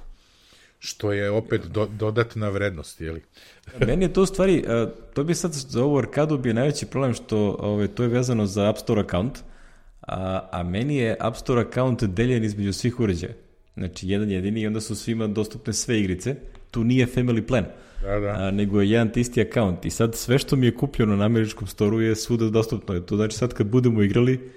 što je opet do, dodatna vrednost, jeli? Meni je to u stvari, to bi sad za ovu arkadu bio najveći problem što ove, to je vezano za App Store account, a, a meni je App Store account deljen između svih uređaja. Znači, jedan jedini i onda su svima dostupne sve igrice. Tu nije family plan, da, da. A, nego je jedan te isti account. I sad sve što mi je kupljeno na američkom storu je svuda dostupno. To znači sad kad budemo igrali,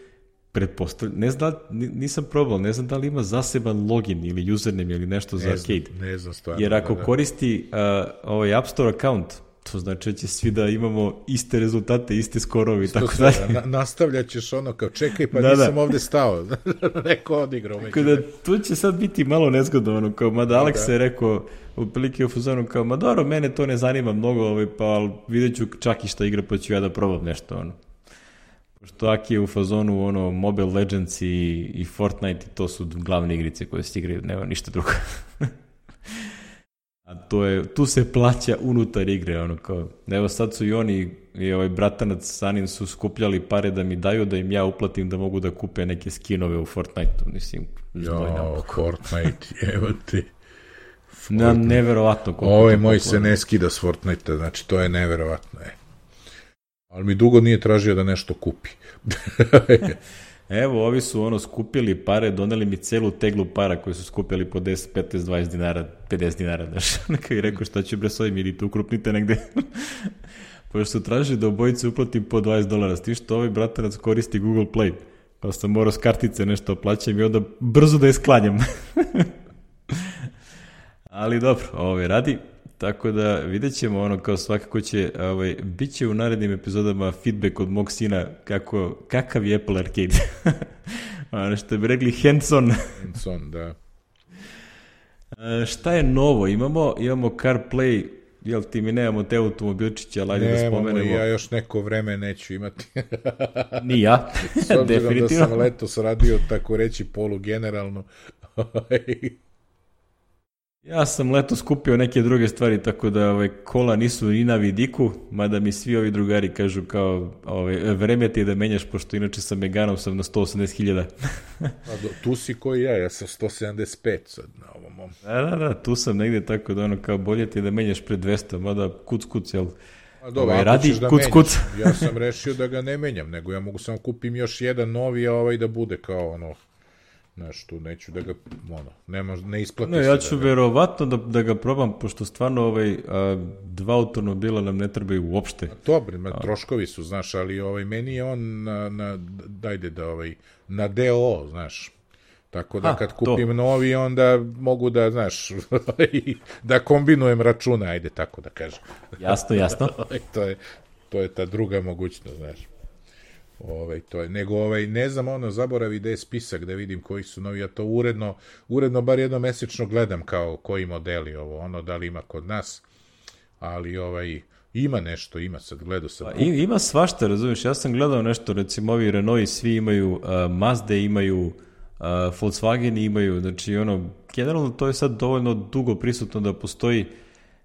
pretpostavljam, ne znam, nisam probao, ne znam da li ima zaseban login ili username ili nešto ne za arcade. Znam, ne znam stvarno. Jer ako da, da. koristi uh, ovaj App Store account, to znači da će svi da imamo iste rezultate, iste skorovi i tako dalje. Na, nastavljat ćeš ono kao čekaj pa da, nisam da. ovde stao. Neko odigrao. Tako da tu će sad biti malo nezgodno, ono, kao, mada Alex da. je rekao otprilike u fazonu kao, ma dobro, mene to ne zanima mnogo, ovaj, pa vidjet ću čak i šta igra, pa ću ja da probam nešto, ono. Pošto Aki je u fazonu, ono, Mobile Legends i, i Fortnite, to su glavne igrice koje se igraju, nema ništa drugo. A to je, tu se plaća unutar igre, ono kao, evo sad su i oni, i ovaj bratanac Sanin su skupljali pare da mi daju, da im ja uplatim da mogu da kupe neke skinove u Fortnite-u, mislim, jo, Fortnite, evo ti. Na, neverovatno. Ovaj moj se ne skida s Fortnite-a, znači to je neverovatno, je. Ali mi dugo nije tražio da nešto kupi. Evo, ovi su ono skupili pare, doneli mi celu teglu para koji su skupili po deset, petnaest, dvadeset dinara, pedeset dinara, znaš. Neka i rekao šta ću bre s ovim, ili tu ukrupnite negde. Pošto su tražili da obojice uplatim po dvadeset dolara, s tim što ovaj bratanac koristi Google Play. Pa sam morao s kartice nešto plaćam i onda brzo da je sklanjam. Ali dobro, ovo radi. Tako da vidjet ćemo ono kao svakako će, ovaj, bit će u narednim epizodama feedback od mog sina kako, kakav je Apple Arcade. Ono što bi rekli hands-on. Hands-on, da. A, šta je novo? Imamo, imamo CarPlay, jel ti mi nemamo te automobilčiće, ali ajde da spomenemo. Nemamo, ja još neko vreme neću imati. Ni ja, definitivno. S obzirom da sam letos radio, tako reći, polu generalno. Ja sam letos kupio neke druge stvari, tako da ove, kola nisu ni na vidiku, mada mi svi ovi drugari kažu kao ove, vreme ti je da menjaš, pošto inače sa Meganom sam na sto osamdeset hiljada. Tu si koji ja, ja sam sto sedamdeset pet sad na ovom mom. Da, da, da, tu sam negde tako da ono kao bolje ti je da menjaš pre dvesta, mada kuc kuc, jel? A dobro, ovaj, ako radi, ćeš da kuc, menjaš, kuc. ja sam rešio da ga ne menjam, nego ja mogu samo kupim još jedan novi, a ovaj da bude kao ono... Znaš, tu neću da ga, ono, nema, ne isplati no, se. ja ću da verovatno da, da ga probam, pošto stvarno ovaj, a, dva automobila nam ne trebaju uopšte. Dobro, a... troškovi su, znaš, ali ovaj, meni je on na, na dajde da, ovaj, na D O O, znaš. Tako da a, kad kupim to. novi, onda mogu da, znaš, da kombinujem račune, ajde tako da kažem. Jasno, jasno. to, je, to je ta druga mogućnost, znaš. Ovaj, to je, nego ovaj, ne znam, ono, zaboravi da je spisak da vidim koji su novi, ja to uredno, uredno bar jedno mesečno gledam kao koji modeli ovo, ono, da li ima kod nas, ali ovaj, ima nešto, ima sad, gledao sam. Pa, ima svašta, razumiješ, ja sam gledao nešto, recimo ovi Renault svi imaju, uh, Mazda imaju, uh, Volkswagen imaju, znači ono, generalno to je sad dovoljno dugo prisutno da postoji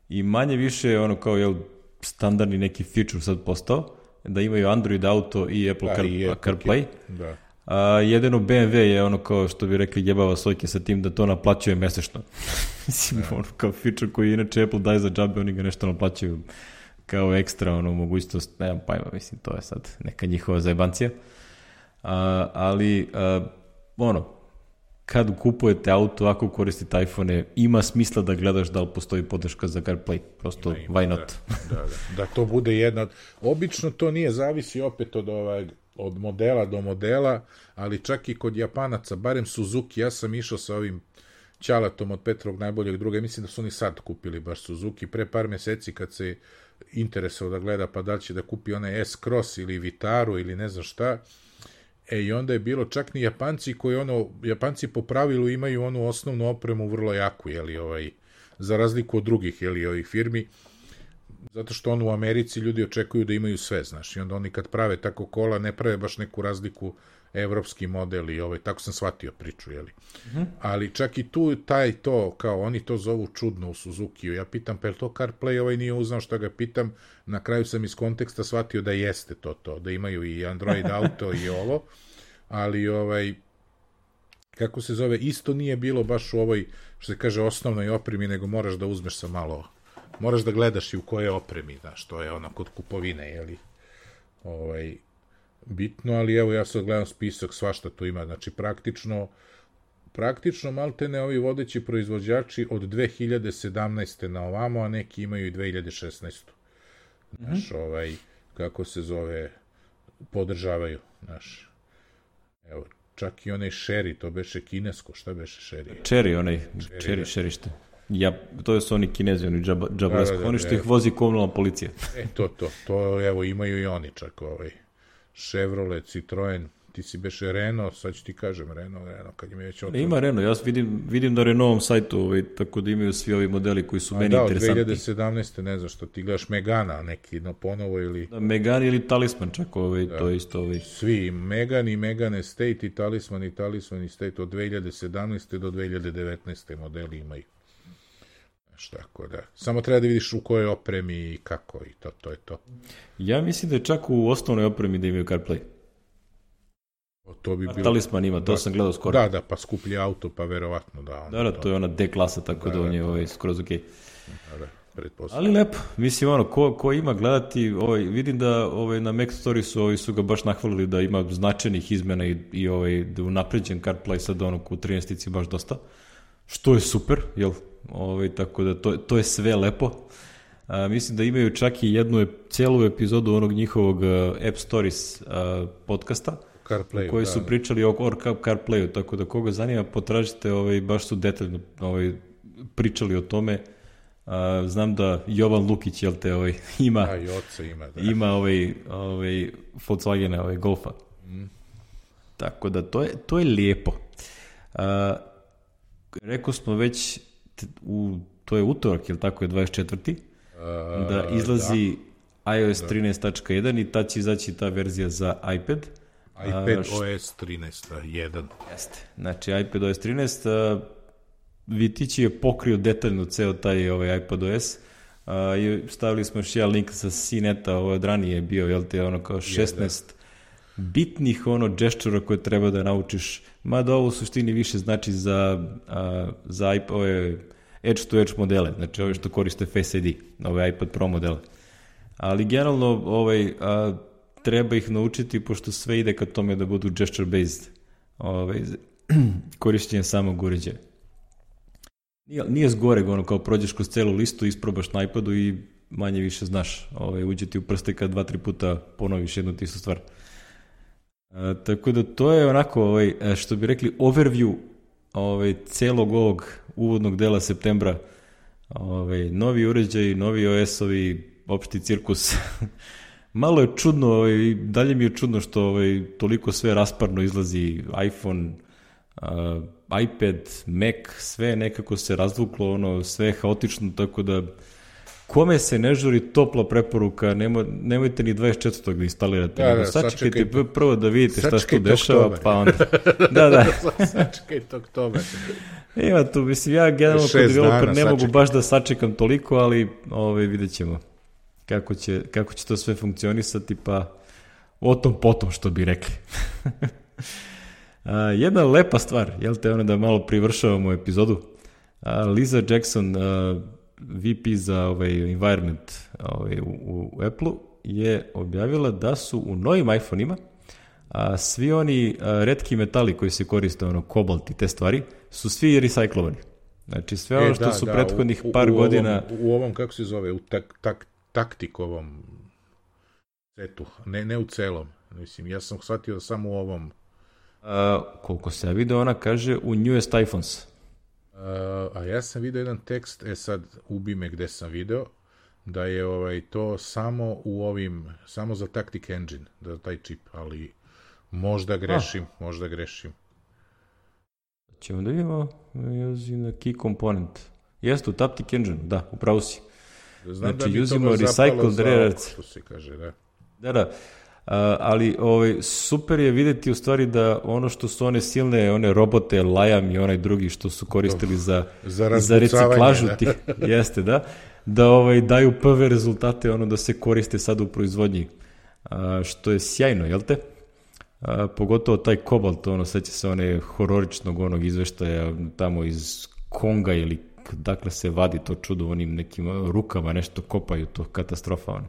i manje više ono kao, jel, standardni neki feature sad postao, da imaju Android Auto i Apple da, Car, i Apple CarPlay. Da. A, jedino B M W je ono kao što bi rekli jebava sojke sa tim da to naplaćuje mesečno. Mislim, ono kao feature koji inače Apple daje za džabe, oni ga nešto naplaćuju kao ekstra ono, mogućnost, nemam pajma, mislim, to je sad neka njihova zajebancija. A, ali, a, ono, kad kupujete auto, ako koristite iPhone, ima smisla da gledaš da li postoji podrška za CarPlay. Prosto, ima, why not? Da, da, da. Da to bude jedna... Obično to nije, zavisi opet od, ovaj, od modela do modela, ali čak i kod Japanaca, barem Suzuki, ja sam išao sa ovim Ćalatom od Petrovog najboljeg druga, mislim da su oni sad kupili baš Suzuki, pre par meseci kad se interesovao da gleda pa da li će da kupi onaj S-Cross ili Vitaru ili ne znam šta. E, i onda je bilo čak ni Japanci koji ono, Japanci po pravilu imaju onu osnovnu opremu vrlo jaku, jeli, ovaj, za razliku od drugih, jeli, ovih firmi, zato što ono u Americi ljudi očekuju da imaju sve, znaš, i onda oni kad prave tako kola, ne prave baš neku razliku evropski model i ovaj, tako sam shvatio priču, jeli. Mm-hmm. Ali čak i tu taj to, kao oni to zovu čudno u Suzukiju, ja pitam, pa je to CarPlay, ovaj nije uznao što ga pitam, na kraju sam iz konteksta shvatio da jeste to to, da imaju i Android Auto i ovo, ali ovaj, kako se zove, isto nije bilo baš u ovoj, što se kaže, osnovnoj opremi, nego moraš da uzmeš sa malo, moraš da gledaš i u koje opremi, znaš, to je ono kod kupovine, jeli, ovaj, bitno, ali evo ja sad gledam spisak, svašta tu ima, znači praktično, praktično maltene ovi vodeći proizvođači od dve hiljade sedamnaeste na ovamo, a neki imaju i dve hiljade šesnaeste. Znaš, mm-hmm. ovaj, kako se zove, podržavaju, znaš, evo, čak i onaj Sherry, to beše kinesko, šta beše Sherry? Cherry, onaj, Cherry, Sherry, ja, to su oni Kinezi, oni džaba, džabaresko, da, da, da, oni što ih vozi komunalna policija. E, to, to, to, evo, imaju i oni čak, ovaj, Chevrolet, Citroen, ti si beše Renault, sad ću ti kažem Renault, Renault, kad im je već otvoreno. Ima Renault, ja vidim, vidim na Renaultom sajtu, ovaj, tako da imaju svi ovi modeli koji su a meni da, interesantni. Da, od dve hiljade sedamnaeste ne znam što, ti gledaš Megana neki, no ponovo ili... Da, Megane ili Talisman čak, ovaj, da, to je isto. Ovaj. Svi, Megane i Megane Estate i Talisman i Talisman Estate od dve hiljade sedamnaeste do dve hiljade devetnaeste modeli imaju. Znaš, tako da. Samo treba da vidiš u kojoj opremi i kako i to, to je to. Ja mislim da je čak u osnovnoj opremi da imaju CarPlay. To bi bilo... Talisman ima, to da, sam gledao skoro. Da, da, pa skuplji auto, pa verovatno da. Da, da, to je ona D klasa, tako da, da on je ovaj, skroz ok. Da, da, ali lepo, mislim ono, ko, ko ima gledati, ovaj, vidim da ovaj, na Mac Story su, ovaj, su ga baš nahvalili da ima značajnih izmena i, i ovaj, da unapređen CarPlay sad ono u trinaestici baš dosta, što je super, jel? Ovaj, tako da to, to je sve lepo. A, mislim da imaju čak i jednu celu epizodu onog njihovog uh, App Stories uh, podcasta, CarPlay, koji da, su pričali o, o CarPlayu, tako da koga zanima potražite, ovaj, baš su detaljno ovaj, pričali o tome. Uh, znam da Jovan Lukić, jel te, ovaj, ima, a, i oca ima, da. ima ovaj, ovaj Volkswagena, ovaj Golfa. Mm. Tako da to je, to je lijepo. Uh, rekao smo već, u, to je utorak, jel tako je dvadeset četvrti Uh, da izlazi da. i O S trinaest tačka jedan i tad će izaći ta verzija za iPad. iPad uh, O S trinaest jedan Jeste. Znači iPad O S trinaest uh, Vitići je pokrio detaljno ceo taj ovaj iPad O S uh, i stavili smo još jedan link sa C neta, ovo od ranije je bio, jel te, ono kao šesnaest bitnih ono džešćura koje treba da naučiš, mada ovo u suštini više znači za, uh, za iPad, ove edge-to-edge modele, znači ove što koriste Face I D, ove iPad Pro modele. Ali generalno ovaj, a, treba ih naučiti, pošto sve ide ka tome da budu gesture-based ovaj, korišćenje samog uređaja. Nije, nije zgoreg, ono kao prođeš kroz celu listu, isprobaš na iPadu i manje više znaš, ovaj, uđe ti u prste kad dva, tri puta ponoviš jednu tistu stvar. A, tako da to je onako, ovaj, što bi rekli, overview ovaj, celog ovog uvodnog dela septembra. Ovaj, novi uređaj, novi O S-ovi, opšti cirkus. Malo je čudno, ovaj, dalje mi je čudno što ovaj, toliko sve rasparno izlazi, iPhone, uh, iPad, Mac, sve nekako se razvuklo, ono, sve je haotično, tako da kome se ne žuri, topla preporuka, nemoj, nemojte ni dvadeset četvrtog da instalirate, da, da, sačekajte prvo da vidite šta se tu dešava, oktober. Pa onda... Da, da. Sačekajte oktober. Ima tu, mislim, ja generalno kod developer ne mogu baš da sačekam toliko, ali ovaj, vidjet ćemo kako će, kako će to sve funkcionisati, pa o tom potom, što bi rekli. A, jedna lepa stvar, jel te, ono da malo privršavamo epizodu, a, Lisa Jackson, a, V P za ovaj environment ovaj, u, u Apple-u, je objavila da su u novim iPhone-ima a, svi oni a, retki metali koji se koriste, ono, kobalt i te stvari, su svi reciklovani. Znači sve ono e, što da, su da, prethodnih u, par u godina... Ovom, u ovom, kako se zove, u tak, tak, taktikovom setu, ne, ne u celom. Mislim, ja sam shvatio samo u ovom... A, koliko se ja vidio, ona kaže u newest iPhones. A, a ja sam vidio jedan tekst, e sad ubi me gde sam video, da je ovaj to samo u ovim, samo za Tactic Engine, da taj čip, ali možda grešim, a. možda grešim. Ćemo da vidimo, using key component. Jeste u Tactic Engine, da, upravo si. Znam znači, da uzimo recycled rare earth. Što se kaže, da. Da, da. Uh, ali ovaj, super je videti u stvari da ono što su one silne, one robote, Liam i onaj drugi što su koristili za, za, za reciklažu da. Tih, jeste, da, da ovaj, daju prve rezultate, ono da se koriste sad u proizvodnji, uh, što je sjajno, jel te? A, pogotovo taj Kobalt, ono, seća se one hororičnog onog izveštaja tamo iz Konga ili dakle se vadi to čudo, onim nekim rukama nešto kopaju, to katastrofa. Ono.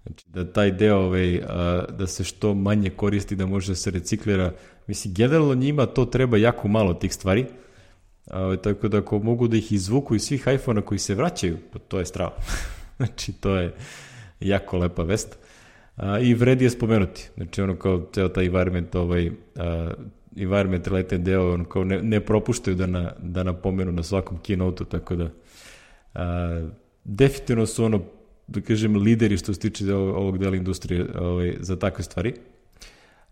Znači, da taj deo, ovaj, a, da se što manje koristi, da može da se reciklira. Mislim, generalno njima to treba jako malo tih stvari, a, tako da ako mogu da ih izvuku iz svih iPhone-a koji se vraćaju, pa to je strava. Znači, to je jako lepa vest. A, I vredi je spomenuti. Znači, ono kao ceo taj environment, ovaj, a, environment related deo, ono kao ne, ne propuštaju da, na, da napomenu na svakom keynote-u, tako da a, definitivno su ono, da kažem, lideri što se tiče ovog dela industrije ovaj, za takve stvari.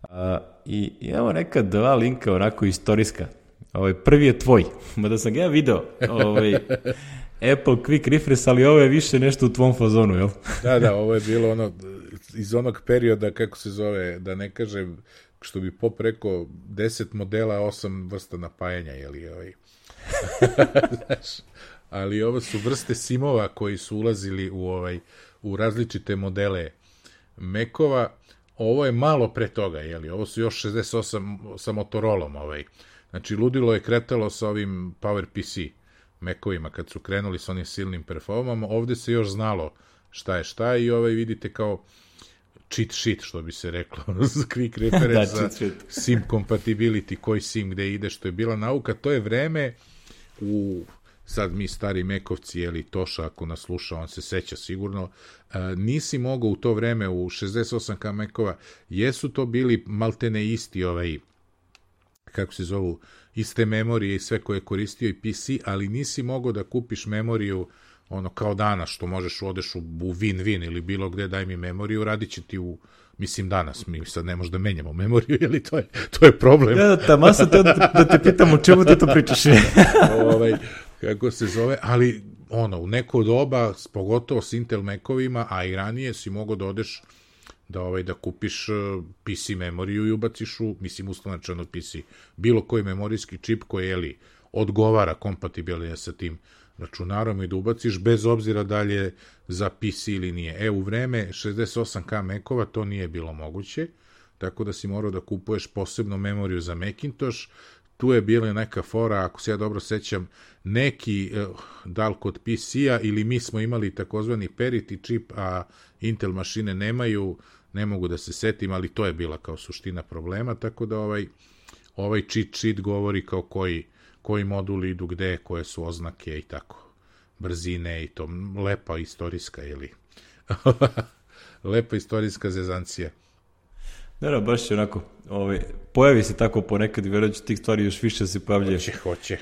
A, i imamo neka dva linka onako istorijska. Ovaj, prvi je tvoj, mada sam ga ja video. Ovaj, Apple Quick Refresh, ali ovo je više nešto u tvom fazonu, jel? Da, da, ovo je bilo ono iz onog perioda, kako se zove, da ne kažem, što bi Pop rekao, deset modela, osam vrsta napajanja, jel? Ovaj. Znaš, ali ovo su vrste simova koji su ulazili u ovaj u različite modele Macova. Ovo je malo pre toga, jeli? Ovo su još šezdeset osam sa Motorolom, ovaj. Znači, ludilo je kretalo sa ovim PowerPC Macovima kad su krenuli sa onim silnim performama. Ovde se još znalo šta je šta i ovaj vidite kao cheat sheet, što bi se reklo, quick reference da, za SIM compatibility, koji SIM gde ide, što je bila nauka. To je vreme u sad mi stari Mekovci, jeli Toša, ako nas sluša, on se seća sigurno, a, nisi mogao u to vreme u šezdeset osam ka Mekova, jesu to bili maltene isti ovaj, kako se zovu, iste memorije i sve koje je koristio i P C, ali nisi mogao da kupiš memoriju ono kao danas, što možeš odeš u, u Win-Win ili bilo gde, daj mi memoriju, radit će ti u, mislim danas, mi sad ne možemo da menjamo memoriju, jeli to je, to je problem. Ja, ta masa te, da te pitam o čemu ti to pričaš. ovaj, kako se zove, ali ono, u neko doba, pogotovo s Intel Macovima, a i ranije si mogao da odeš da, ovaj, da kupiš P C memoriju i ubaciš u, mislim, uslovnačan od P C, bilo koji memorijski čip koji, jeli, odgovara kompatibilno sa tim računarom i da ubaciš, bez obzira da li je za P C ili nije. E, u vreme šezdeset osam ka Macova to nije bilo moguće, tako da si morao da kupuješ posebno memoriju za Macintosh. Tu je bila neka fora, ako se ja dobro sećam, neki, da li kod P C-a ili mi smo imali takozvani parity čip, a Intel mašine nemaju, ne mogu da se setim, ali to je bila kao suština problema, tako da ovaj, ovaj cheat sheet govori kao koji, koji moduli idu gde, koje su oznake i tako, brzine i to, lepa istorijska, ili lepa istorijska zezancija. Da, da, baš je onako, ovaj, pojavi se tako ponekad i vjerujem tih stvari još više se pojavljaju. Hoće, hoće.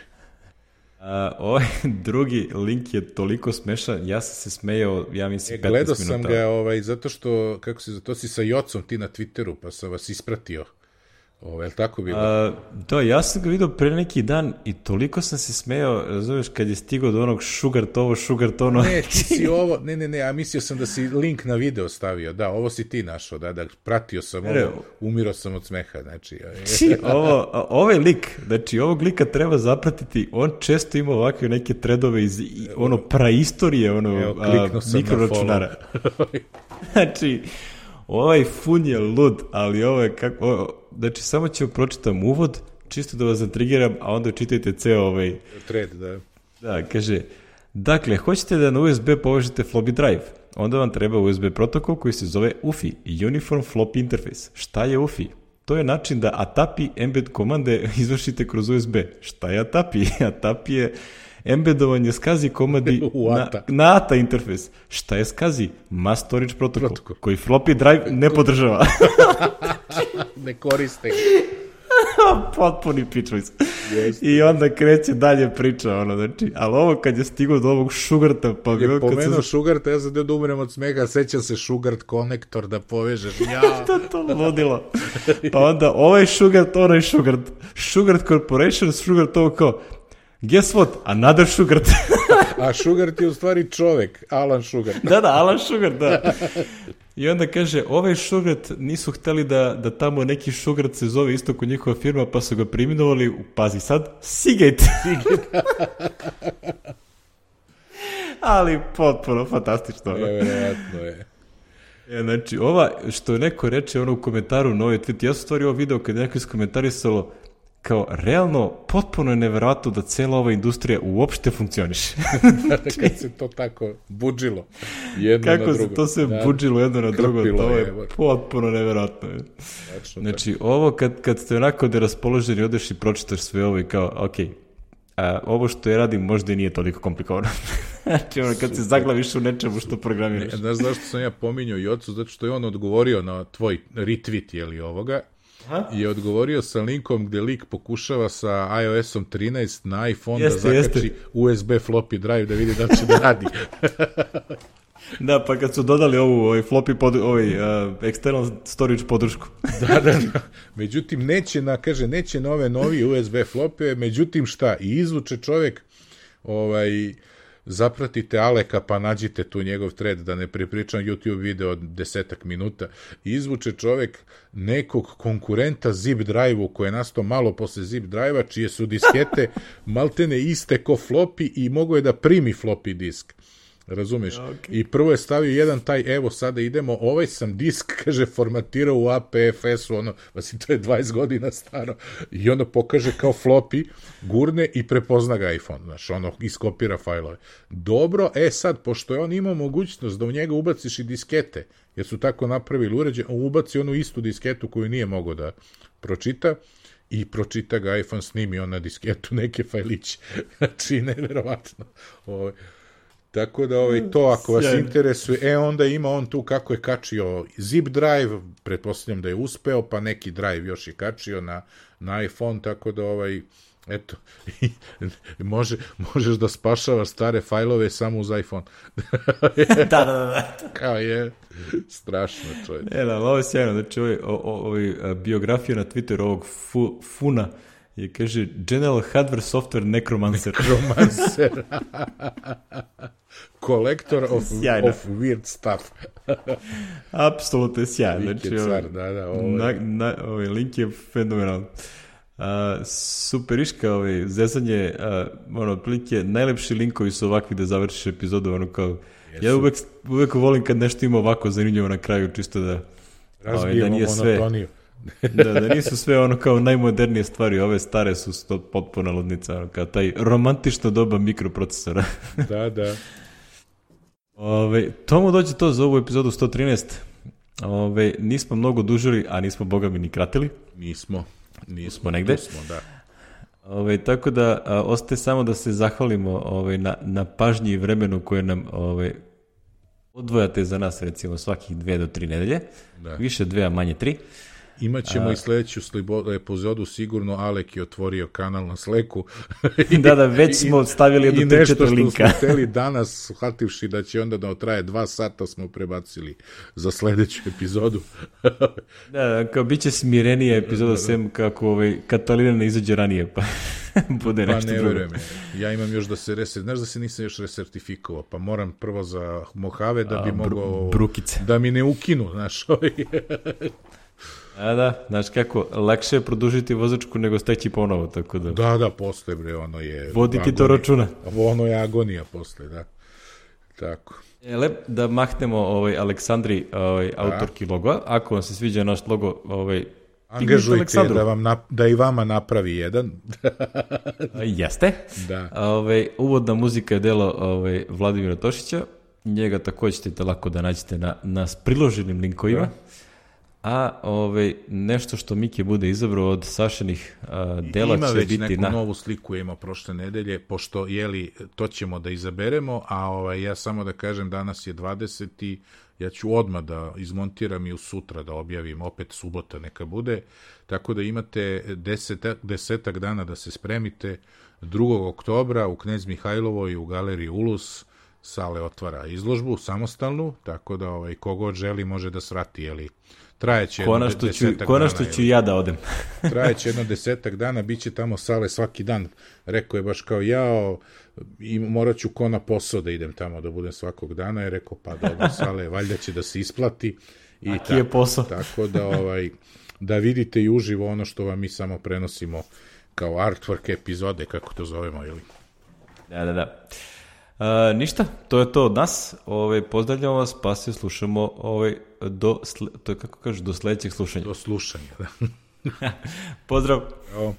A, ovaj drugi link je toliko smešan, ja sam se smejao, ja mislim, e, petnaest minuta. Gledao sam ga, ovaj, zato što, kako se, to si sa Jocom ti na Twitteru, pa sam vas ispratio. Ovo, je li tako bilo? A, da, ja sam ga vidio pre neki dan i toliko sam se smejao, razumiješ, kad je stigao do onog šugart ovo, šugart ono. Ne, ti si ovo, ne, ne, ne, a mislio sam da si link na video stavio, da, ovo si ti našao, da, da, pratio sam ovo, umirao sam od smeha, znači. ovo, ovaj lik, znači, ovog lika treba zapratiti, on često ima ovakve neke tredove iz, ono, praistorije, ono, evo, mikroračunara. Znači, ovaj fun je lud, ali ovo je kako, ovo, znači samo ću pročitam uvod, čisto da vas zatrigiram, a onda čitajte ceo ovaj... Thread, da. Da, kaže, dakle, hoćete da na U S B povežete floppy drive, onda vam treba U S B protokol koji se zove U F I, Uniform Floppy Interface. Šta je U F I? To je način da A T A P I embed komande izvršite kroz U S B. Šta je A T A P I? A T A P I je embedovanje SCSI komandi na, na A T A interfejs. Šta je SCSI? Mass Storage Protocol, protokol. Koji floppy drive ne podržava. Ne koriste. Potpuni pičvic. I onda kreće dalje priča, ono, znači, ali ovo kad je stigao do ovog šugarta, pa je pomenuo se... šugarta, ja sam da umrem od smega, sećam se šugart konektor da povežeš. Ja. To to ludilo. Pa onda ovaj šugart, onaj šugart, Šugart Corporation, šugart ovo kao, guess what? Another Šugart. A Šugart je u stvari čovek, Alan Šugart. Da, da, Alan Šugart, da. I onda kaže, ovaj Šugart nisu hteli da, da tamo neki Šugart se zove isto kod njihova firma, pa su ga priminovali, pazi sad, Seagate. Seagate. Ali potpuno fantastično. Nevjerojatno je. E, znači, ova, što neko reče ono u komentaru na ovaj tweet, ja sam stvari ovo video kad je neko iskomentarisalo kao, realno, potpuno je neverovatno da cela ova industrija uopšte funkcioniše. Kad se to tako budžilo jedno Kako na drugo. Kako se to sve da, budžilo jedno na drugo, to je, je potpuno neverovatno. Znači, ovo kad, kad ste onako da raspoloženi, odeš i pročitaš sve ovo i kao, ok, a, ovo što ja radim možda i nije toliko komplikovano. Znači, ono, kad se zaglaviš u nečemu što programiraš. Ne, znaš zašto sam ja pominjao i ocu, zato što je on odgovorio na tvoj retweet, jeli ovoga, aha, je odgovorio sa linkom gde lik pokušava sa i O S-om trinaest na iPhone jeste, da zakači jeste. U S B floppy drive da vidi da će da radi. Da, pa kad su dodali ovu ovaj floppy pod, ovaj uh, external storage podršku. Da, da, da. Međutim, neće na, kaže, neće na ove novi U S B flope, međutim šta, i izvuče čovjek, ovaj, zapratite Aleka pa nađite tu njegov thread, da ne prepričam YouTube video od desetak minuta, izvuče čovjek nekog konkurenta zip drive-u koji je nastao malo posle zip drive-a, čije su diskete maltene iste ko floppy i mogo je da primi floppy disk. Razumeš? Okay. I prvo je stavio jedan taj, evo sada idemo, ovaj sam disk, kaže, formatirao u A P F S-u, ono, znači to je dvadeset godina staro, i onda pokaže kao floppy, gurne i prepozna ga iPhone, znaš, ono, iskopira fajlove. Dobro, e sad, pošto je on imao mogućnost da u njega ubaciš i diskete, jer su tako napravili uređaj, on ubaci onu istu disketu koju nije mogao da pročita, i pročita ga iPhone, snimi on na disketu neke fajliće. Znači, nevjerovatno. Ovo, tako da ovaj, to ako vas Sjajno. Interesuje, e onda ima on tu kako je kačio zip drive, pretpostavljam da je uspeo, pa neki drive još je kačio na, na iPhone, tako da ovaj, eto, može, možeš da spašavaš stare fajlove samo uz iPhone. da, da, da. Kao je, strašno čovječ. E, da, ovo je sjajno, znači ovaj, ovaj biografija na Twitteru ovog fu, Funa je, kaže, General Hardware Software Necromancer. Necromancer. Collector of, of weird stuff. Apsolutno je sjajno. Link je car, da, da. Ovo na, na, ovaj link je fenomenal. Uh, superiška ovaj, zezanje, uh, ono, otprilike, najlepši linkovi su ovakvi da završiš epizodu, ono kao, Jesu. Ja uvek, uvek volim kad nešto ima ovako zanimljivo na kraju, čisto da, ovaj, da nije sve... monotoniju. da, da nisu sve ono kao najmodernije stvari, ove stare su sto, potpuna ludnica, ono, kao taj romantično doba mikroprocesora. Da, da. Ove, tomu dođe to za ovu epizodu sto trinaest. Ove, nismo mnogo dužili, a nismo boga mi ni kratili. Nismo. Nismo, smo negde. Smo, da. Ove, tako da a, ostaje samo da se zahvalimo ove, na, na pažnji i vremenu koje nam ove, odvojate za nas, recimo svakih dve do tri nedelje. Da. Više dve, a manje tri. Imaćemo a, i sledeću epizodu, sigurno Alek je otvorio kanal na Slacku. da, da, već smo stavili jednu tri četiri linka. I nešto što smo hteli danas, shvativši da će onda da traje dva sata, smo prebacili za sledeću epizodu. da, kao bit će smirenija epizoda, da, da. Sem kako ovaj, Katalina ne izađe ranije, pa bude nešto drugo. Pa ne verujem, ja imam još da se reser, znaš da se nisam još resertifikovao, pa moram prvo za Mojave da bi a, mogao, brukice. Da mi ne ukinu, znaš, ovaj... A da, znaš kako, lakše je produžiti vozačku nego steći ponovo, tako da... Da, da, posle, bre, ono je... Voditi to računa. Ono je agonija posle, da. Tako. E, lep, da mahnemo ovaj, Aleksandri, ovaj, autorki logoa. Ako vam se sviđa naš logo, ovaj, angažujte da, vam nap, da i vama napravi jedan. Jeste. Da. Ovaj, uvodna muzika je delo ovaj, Vladimira Tošića. Njega također ćete lako da nađete na, na priloženim linkovima. Da. A ovaj, nešto što Miki bude izabrao od Sašinih a, dela ima će biti na... Ima već neku novu sliku ima prošle nedelje, pošto, jeli, to ćemo da izaberemo, a ovaj, ja samo da kažem, danas je dvadeseti Ja ću odmah da izmontiram i u sutra da objavim, opet subota neka bude, tako da imate desetak, desetak dana da se spremite. drugog oktobra u Knez Mihajlovoj u galeriji Ulus Sale otvara izložbu samostalnu, tako da ovaj, kogod želi može da svrati, jeli, trajeće jedno desetak dana. Konačno ću ja da odem. Trajeće jedno desetak dana, bit će tamo Sale svaki dan. Rekao je baš kao jao, i morat ću ko na posao da idem tamo da budem svakog dana. Je rekao pa dobro Sale, valjda će da se isplati. I a ki je posao? Tako da, ovaj, da vidite i uživo ono što vam mi samo prenosimo kao artwork epizode, kako to zovemo, ili? Da, da, da. A, ništa, to je to od nas. Ove, pozdravljamo vas, pa se slušamo ove, do, sle, to je kako kažeš, do sledećeg slušanja. Do slušanja, da. Pozdrav! Evo.